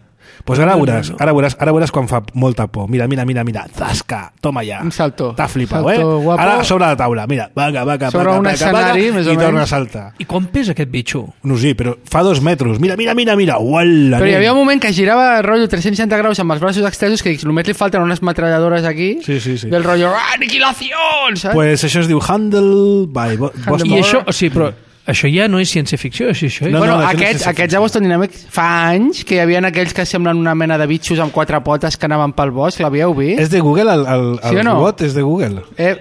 Pues ara No, no, veuràs, no. ara veuràs, ara veuràs quan fa molta por. Mira, mira, mira, mira, zasca, toma ja. Un salto. T'ha flipat, Salto eh? guapo. Ara sobre la taula, mira, vaca, vaca, Sobre vaca, un vaca, escenari, vaca, més o i torna a menys. saltar. I quan pesa aquest bitxo? No sé, però fa dos metres. Mira, mira, mira, mira. Uala, Però hi nen. havia un moment que girava rotllo tres-cents seixanta graus amb els braços extesos que dic, només li falten unes metralladores aquí Sí, sí, sí. del rotllo "Ah, aniquilació, saps? Pues això es diu Handel by Bo- Boston. I això, o sigui, però això ja no és ciència-ficció, això, això és... No, bueno, no, això no és aquests, ciència aquests a Boston Dynamics fa anys que hi havia aquells que semblen una mena de bitxos amb quatre potes que anaven pel bosc, l'havíeu vist? És de Google, el, el, Sí el o no? robot és de Google. Eh,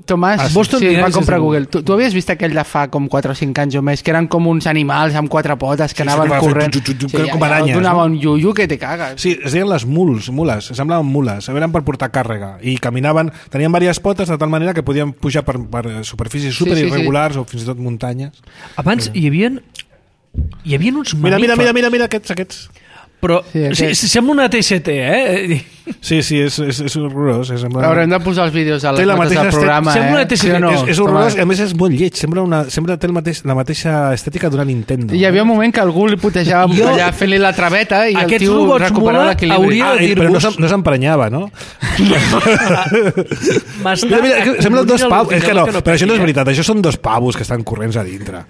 Tomàs, Ah, sí. Boston sí, Dynamics va és comprar de Google. Google. Tu, tu havies vist aquell de fa com quatre o cinc anys o més, que eren com uns animals amb quatre potes que Sí, sí, anaven que va fer corrent. tu, tu, tu, tu, com aranyes, Donava no? un iuiu que te cagues. Sí, es deien les muls, mules, semblaven mules, eren per portar càrrega i caminaven, tenien diverses potes de tal manera que podien pujar per, per superfícies super sí, sí. irregulars o fins i tot muntanyes. Abans hi havia... Hi havia uns Mira, mamífers. mira, mira, mira, mira aquests, aquests. Però Sí, sí, aquest. sí, sembla una T S T, eh? Sí, sí, és, és, és horrorós. És, sembla... Haurem de posar els vídeos a les Té la notes mateixa del programa, estet- sembla eh? una T C Sí o no? és, és horrorós Tomàs? i a més és molt lleig, sembla, una, sembla té el mateix, la mateixa estètica d'una Nintendo. Hi havia un moment que algú li putejava Jo- allà fent-li la traveta i el Aquests tio robots recuperava mola l'equilibri. hauria- Ah, de eh, però no dir-vos- s'em- no s'emprenyava, no? M'està... Mira, mira, que semblen dos al pavos. És que no, final però això no és veritat, això són dos pavos que estan corrents a dintre.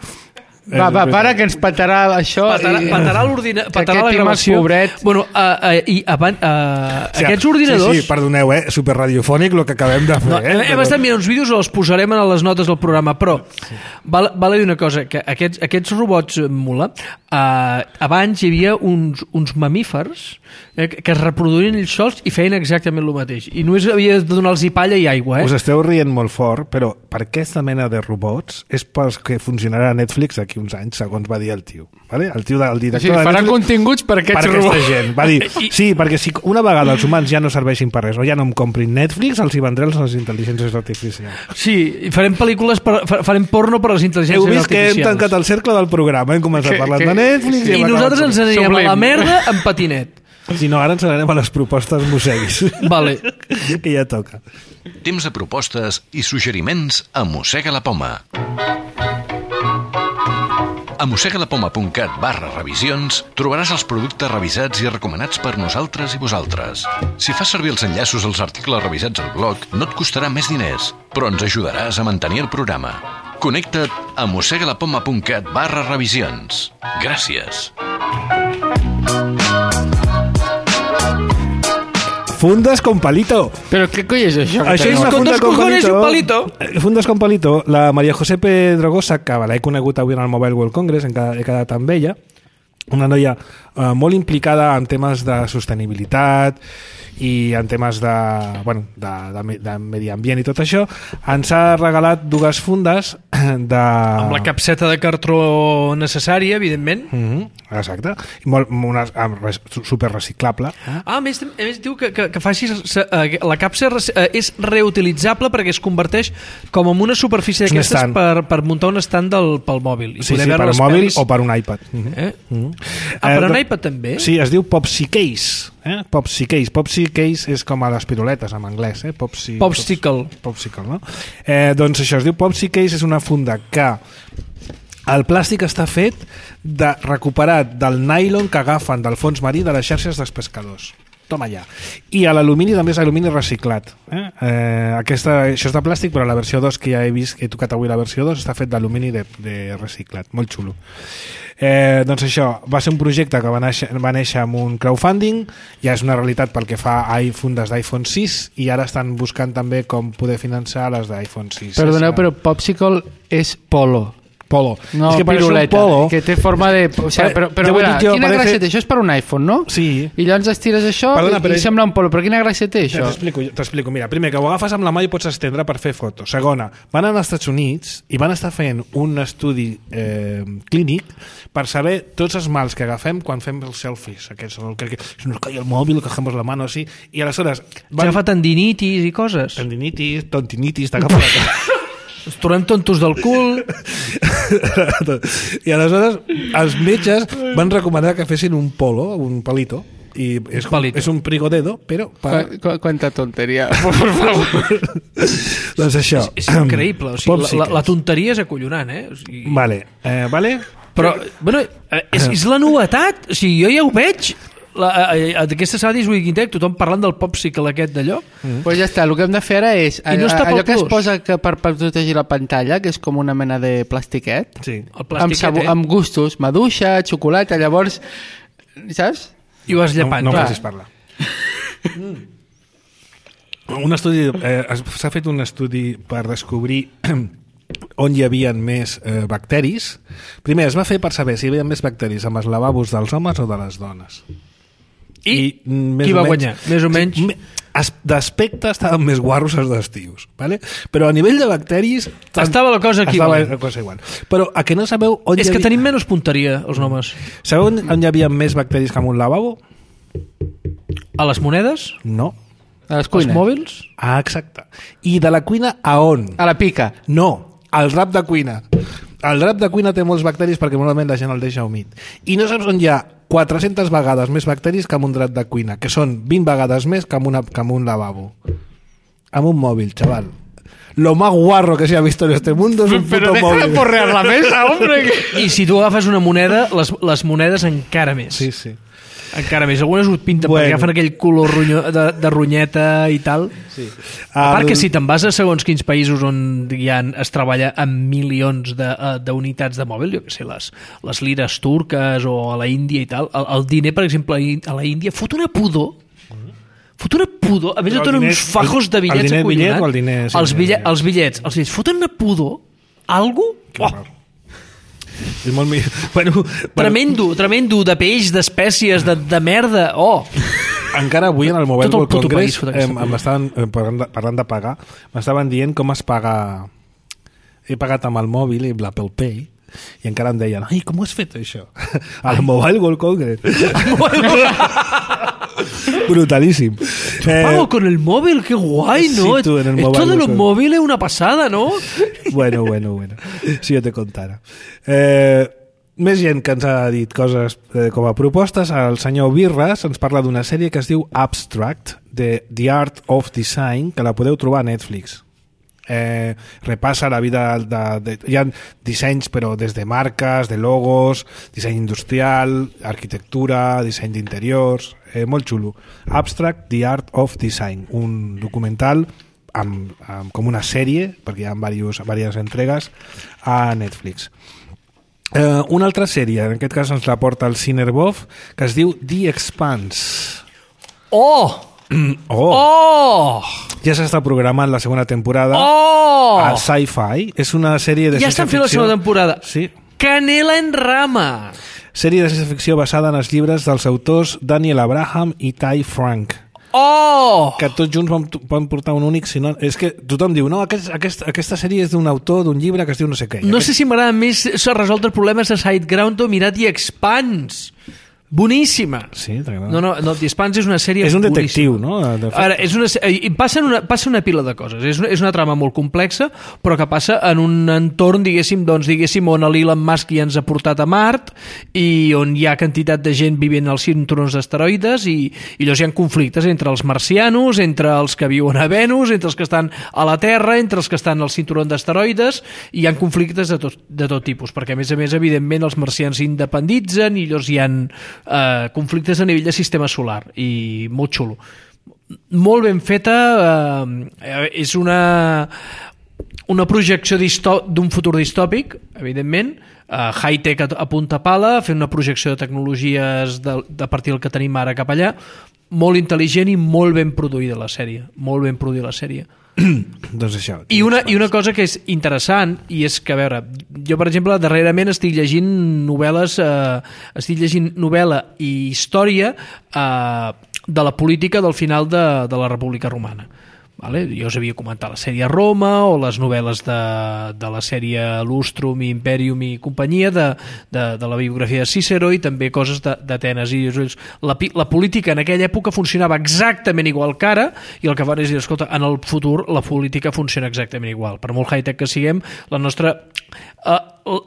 Va, va, para, que ens patarà això. Patarà, i... patarà l'ordina... patarà la Tim és gravació. pobret. Bueno, uh, uh, i abans, uh, O sigui, aquests ordinadors... Sí, sí, perdoneu, eh? Superradiofònic el que acabem de fer. No, eh? hem, hem estat mirant uns vídeos, els posarem a les notes del programa, però sí. val, val a dir una cosa, que aquests, aquests robots mula, uh, abans hi havia uns, uns mamífers eh, que es reproduïen ells sols i feien exactament el mateix. I només havia de donar-los palla i aigua. Eh? Us esteu rient molt fort, però per aquesta mena de robots és pels que funcionarà a Netflix d'aquí uns anys, segons va dir el tio. Vale? El tio del director O sigui, de farà Netflix, continguts per aquests per aquesta robots. gent. Va dir, sí, perquè si una vegada els humans ja no serveixin per res o ja no em comprin Netflix, els hi vendré les intel·ligències artificials. Sí, i farem pel·lícules, per, farem porno per a les intel·ligències Heu artificials. vist que hem tancat el cercle del programa, hem començat Que- parlant que- de Netflix I hem nosaltres acabat- ens anirem Sublim. a la merda amb patinet. Si no, ara ens n'anem a les propostes musseguis. Vale. Que ja toca. Temps de propostes i suggeriments a Mossega la Poma. A mossegalapoma.cat barra revisions trobaràs els productes revisats i recomanats per nosaltres i vosaltres. Si fas servir els enllaços als articles revisats al blog, no et costarà més diners, però ens ajudaràs a mantenir el programa. Connecta't a mossegalapoma.cat barra revisions. Gràcies. Fundes con palito. Però què coi és això? Això és Con una funda dos con cojones palito. y un palito. Eh, Fundes con palito. La Maria José Pedrogosa, que l'he conegut avui en el Mobile World Congress, he quedat, he quedat amb ella, una noia eh, molt implicada en temes de sostenibilitat i en temes de, bueno, de, de, de medi ambient i tot això, ens ha regalat dues fundes de... Amb la capseta de cartró necessària, evidentment. Mm -hmm, exacte. I molt, una, res, super reciclable. Ah, a més, a més diu que, que, que facis, la capsa és reutilitzable perquè es converteix com en una superfície És un d'aquestes estand. per, per muntar un estand del, pel mòbil. I Sí, poder sí, veure per les mòbil pel·lis. o per un iPad. Mm -hmm. Eh? Mm -hmm. Ah, per Eh, un do- iPad també? Sí, es diu Popsi Case. Eh? Popsi Case. Popsi Case és com a les piruletes en anglès. Eh? Popsi, Popsicle. Popsicle, no? Eh, doncs això, es diu Popsi Case, és una funda que el plàstic està fet de recuperat del nylon que agafen del fons marí de les xarxes dels pescadors. Toma ja. I a l'alumini també és alumini reciclat. Eh? Eh, aquesta, això és de plàstic, però la versió dos que ja he vist, que he tocat avui la versió dos, està fet d'alumini de, de reciclat. Molt xulo. Eh, doncs això, va ser un projecte que va néixer, va néixer amb un crowdfunding, ja és una realitat pel que fa a fundes d'iPhone sis i ara estan buscant també com poder finançar les d'iPhone sis. Perdoneu, És, però Popsicle és polo. Polo. No, és que per piruleta, polo, que té forma de... O sigui, Eh, però, però ja ho he veure, dit jo, quina parece- gràcia té? Això és per un iPhone, no? Sí. I llavors estires això Perdona, i, però i és- sembla un polo. Però quina gràcia té, Ja, això? T'explico, t'explico. Mira, primer, que ho agafes amb la mà i pots estendre per fer fotos. Segona, van anar als Estats Units i van estar fent un estudi eh, clínic per saber tots els mals que agafem quan fem els selfies. Aquests, el que, que se nos cae el mòbil, cogemos la mano així. I aleshores... Van... Agafa tendinitis i coses. Tendinitis, tontinitis, t'agafa la cara. Ens tornem tontos del cul. I aleshores els metges van recomanar que fessin un polo, un palito, i és, Palito. és un prigodedo, però per... Qu qu Quanta tonteria, por favor. doncs això. És increïble. O sigui, la, la, la Popsicles. tonteria és acollonant, eh? O sigui... Vale, eh, vale? Però, bueno, eh, és, és la novetat. O sigui, jo ja ho veig. La, eh, eh, d'aquesta Sadis Wikintech, tothom parlant del popsicle aquest d'allò. Mm. Pues ja està, el que hem de fer ara és I no està pel allò que es plus. posa que per, per protegir la pantalla, que és com una mena de plastiquet, Sí. El amb, plastiquet, sabu, eh? amb gustos, maduixa, xocolata, llavors, saps? I ho vas No, llepant. no em clar. facis parlar. Un estudi, eh, es- s'ha fet un estudi per descobrir on hi havia més eh, bacteris. Primer es va fer per saber si hi havia més bacteris amb els lavabos dels homes o de les dones. I, mm, més qui o va menys- guanyar? Més o menys? Me- es- D'aspecte estaven més guarros els dels tios, vale? Però a nivell de bacteris... tant- Estava la cosa estava equivalent. la cosa igual. Però a que no sabeu on És hi que havia... tenim menys punteria, els homes. Sabeu on, on hi havia més bacteris que en un lavabo? A les monedes? No. A les Als cuines. mòbils? Ah, exacte. I de la cuina a on? A la pica. No, al drap de cuina. El drap de cuina té molts bacteris perquè normalment la gent el deixa humit. I no saps on hi ha quatre-centes vegades més bacteris que en un drap de cuina, que són vint vegades més que en, una, que en un lavabo. Amb un mòbil, chaval. Lo más guarro que se ha visto en este mundo es un Pero puto deja móvil. de porrear la mesa, hombre. Que... I si tu agafes una moneda, les, les monedes encara més. Sí, sí. Encara més, algunes ho pinten Bueno. perquè agafen aquell color ronyo, de, de ronyeta i tal. Sí. A part El- que si te'n vas a segons quins països on hi ha, es treballa amb milions de, eh, d'unitats de mòbil, jo què sé, les, les lires turques o a la Índia i tal, el, el diner, per exemple, a la Índia fot una pudor fot una pudor, a més Però et el donen diner- uns fajos de el- el bitllets diner bitllet acollonats. o el diner sense els, bitllets, bitllet? els bitllets, els bitllets, foten una pudor algo, oh, És molt millor. Bueno, bueno, tremendo, tremendo, de peix, d'espècies, de, de merda, oh. encara avui en el Mobile Tot el World puto país Congress fot eh, aquesta em estaven, eh, parlant, de, parlant de pagar, m'estaven dient com es paga. He pagat amb el mòbil i l'Apple Pay i encara em deien, ai, com ho has fet això? Al Mobile World Congress. Brutalíssim. Pago con el móvil, qué guay, ¿no? Sí, tú en el Esto Mobile de los World móviles es una pasada, ¿no? Bueno, bueno, bueno. Si jo te contara. Eh, més gent que ens ha dit coses eh, com a propostes. El senyor Birras ens parla d'una sèrie que es diu Abstract, de The Art of Design, que la podeu trobar a Netflix. Eh, repassa la vida de, de, hi ha dissenys però des de marques, de logos, disseny industrial, arquitectura, disseny d'interiors, eh, molt xulo. Abstract, The Art of Design, un documental amb, amb, com una sèrie, perquè hi ha diverses, diverses entregues a Netflix. Eh, una altra sèrie, en aquest cas ens la porta el Cinerbov, que es diu The Expanse. ¡Oh! Oh! ¡Oh! Ja s'està programant la segona temporada ¡Oh! a Sci-Fi. És una sèrie de Ja ciència estan fent la ficció. segona temporada. Sí. Canela en rama. Sèrie de ciència ficció basada en els llibres dels autors Daniel Abraham i Ty Frank, ¡Oh! que tots junts van, van portar un únic sinònim. És que tothom diu, no, aquest, aquest, aquesta sèrie és d'un autor d'un llibre que es diu no sé què. No sé si m'agrada més resoldre problemes a Sideground o mirar The Expanse. Boníssima. Sí, t'agrada. No, no, no, The Expanse és una sèrie És un boníssima. detectiu, no? De fet. Ara, és una, eh, passen una, passa una pila de coses. És una, és una trama molt complexa, però que passa en un entorn, diguéssim, doncs, diguéssim on l'Elon Musk ja ens ha portat a Mart i on hi ha quantitat de gent vivint als cinturons d'asteroides i, i llavors hi ha conflictes entre els marcianos, entre els que viuen a Venus, entre els que estan a la Terra, entre els que estan al cinturó d'asteroides, i hi ha conflictes de tot, de tot tipus, perquè a més a més, evidentment, els marcians s'independitzen i llavors hi ha eh, conflictes a nivell de sistema solar, i molt xulo. Molt ben feta, eh, és una una projecció d'un futur distòpic, evidentment, eh, high-tech a, a punta pala, fent una projecció de tecnologies de, de partir del que tenim ara cap allà, molt intel·ligent i molt ben produïda la sèrie, molt ben produïda la sèrie. Doncs això. I una, I una cosa que és interessant, i és que, a veure, jo, per exemple, darrerament estic llegint novel·les, eh, estic llegint novel·la i història eh, de la política del final de, de la República Romana. Vale? Jo us havia comentat la sèrie Roma o les novel·les de, de la sèrie Lustrum i Imperium i companyia, de, de, de la biografia de Cícero, i també coses d'Atenes. I la, la política en aquella època funcionava exactament igual que ara, i el que fan és dir, escolta, en el futur la política funciona exactament igual. Per molt high-tech que siguem, la nostra... Eh,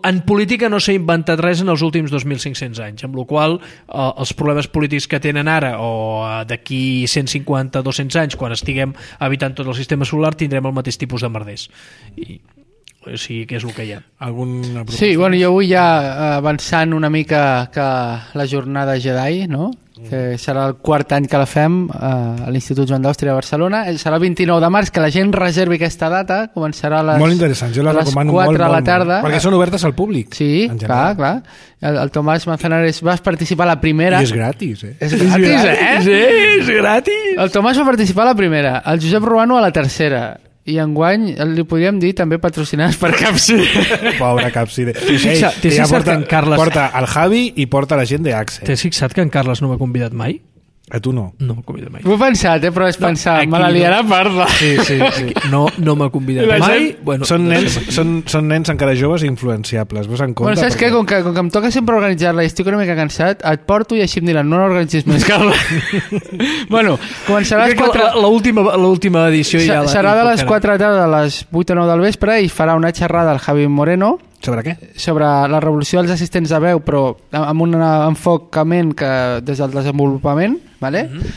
en política no s'ha inventat res en els últims dos mil cinc-cents anys, amb la qual cosa eh, els problemes polítics que tenen ara o eh, d'aquí cent cinquanta a dos-cents anys, quan estiguem habitant tot el sistema solar, tindrem el mateix tipus de merders. I, o sigui, que és el que hi ha. Alguna proposta? Sí, bueno, jo vull ja avançant una mica que la jornada Jedi, no? Que serà el quart any que la fem a l'Institut Joan d'Àustria de Barcelona. Serà el vint-i-nou de març, que la gent reservi aquesta data, començarà a les, molt interessant, jo la a les recomano quatre molt, de la molt, tarda. molt, perquè són obertes al públic. Sí, en clar, general. clar. El, el Tomàs Manzanares va participar a la primera. I és gratis, eh? És gratis, eh? Sí, és gratis! El Tomàs va participar a la primera, el Josep Ruano a la tercera, i enguany li podríem dir també patrocinats per Capcir. Pobre Capcir. T'he fixat- t'he fixat que en Carles- Porta el Javi i porta la gent d'Axe. T'has fixat que en Carles no m'ha convidat mai? A tu no. No m'ha convidat mai. Ho he pensat, eh, però és No, pensar, aquí me la liarà no. parda. Sí, sí, sí. No, no m'ha convidat La mai. gent- Bueno, són, no nens, sé per què. són, són nens encara joves i influenciables. Vos en compte? Bueno, saps què? Com que, com que em toca sempre organitzar-la i estic una mica cansat, et porto i així em diran, no l'organitzis més, Carles. Bueno, començarà a les Crec que quatre... la- l'última l'última edició ja la... Serà de i les tocarà. quatre de la tarda a les vuit o nou del vespre i farà una xerrada al Javi Moreno Sobre què? sobre la revolució dels assistents de veu, però amb un enfocament que des del desenvolupament, ¿vale? Mm-hmm.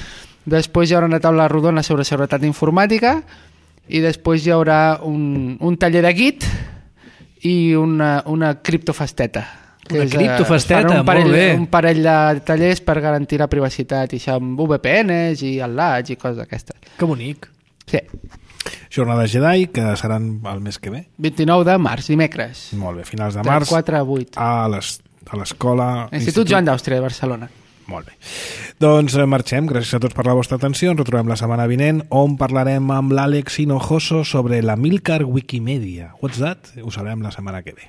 Després hi haurà una taula rodona sobre seguretat informàtica i després hi haurà un, un taller de Git i una, una criptofesteta. Una És, eh, criptofesteta, fan un parell, molt bé. un parell de tallers per garantir la privacitat i això amb V P Ns i enlaç i coses d'aquestes. Que bonic. Sí. Jornades Jedi, que seran el mes que ve. vint-i-nou de març, dimecres. Molt bé, finals de De març. quatre a vuit. A les- a l'escola... Institut Joan d'Àustria de Barcelona. Molt bé. Doncs eh, marxem. Gràcies a tots per la vostra atenció. Ens retrobem la setmana vinent, on parlarem amb l'Àlex Hinojoso sobre la Milcar Wikimedia. What's that? Ho sabrem la setmana que ve.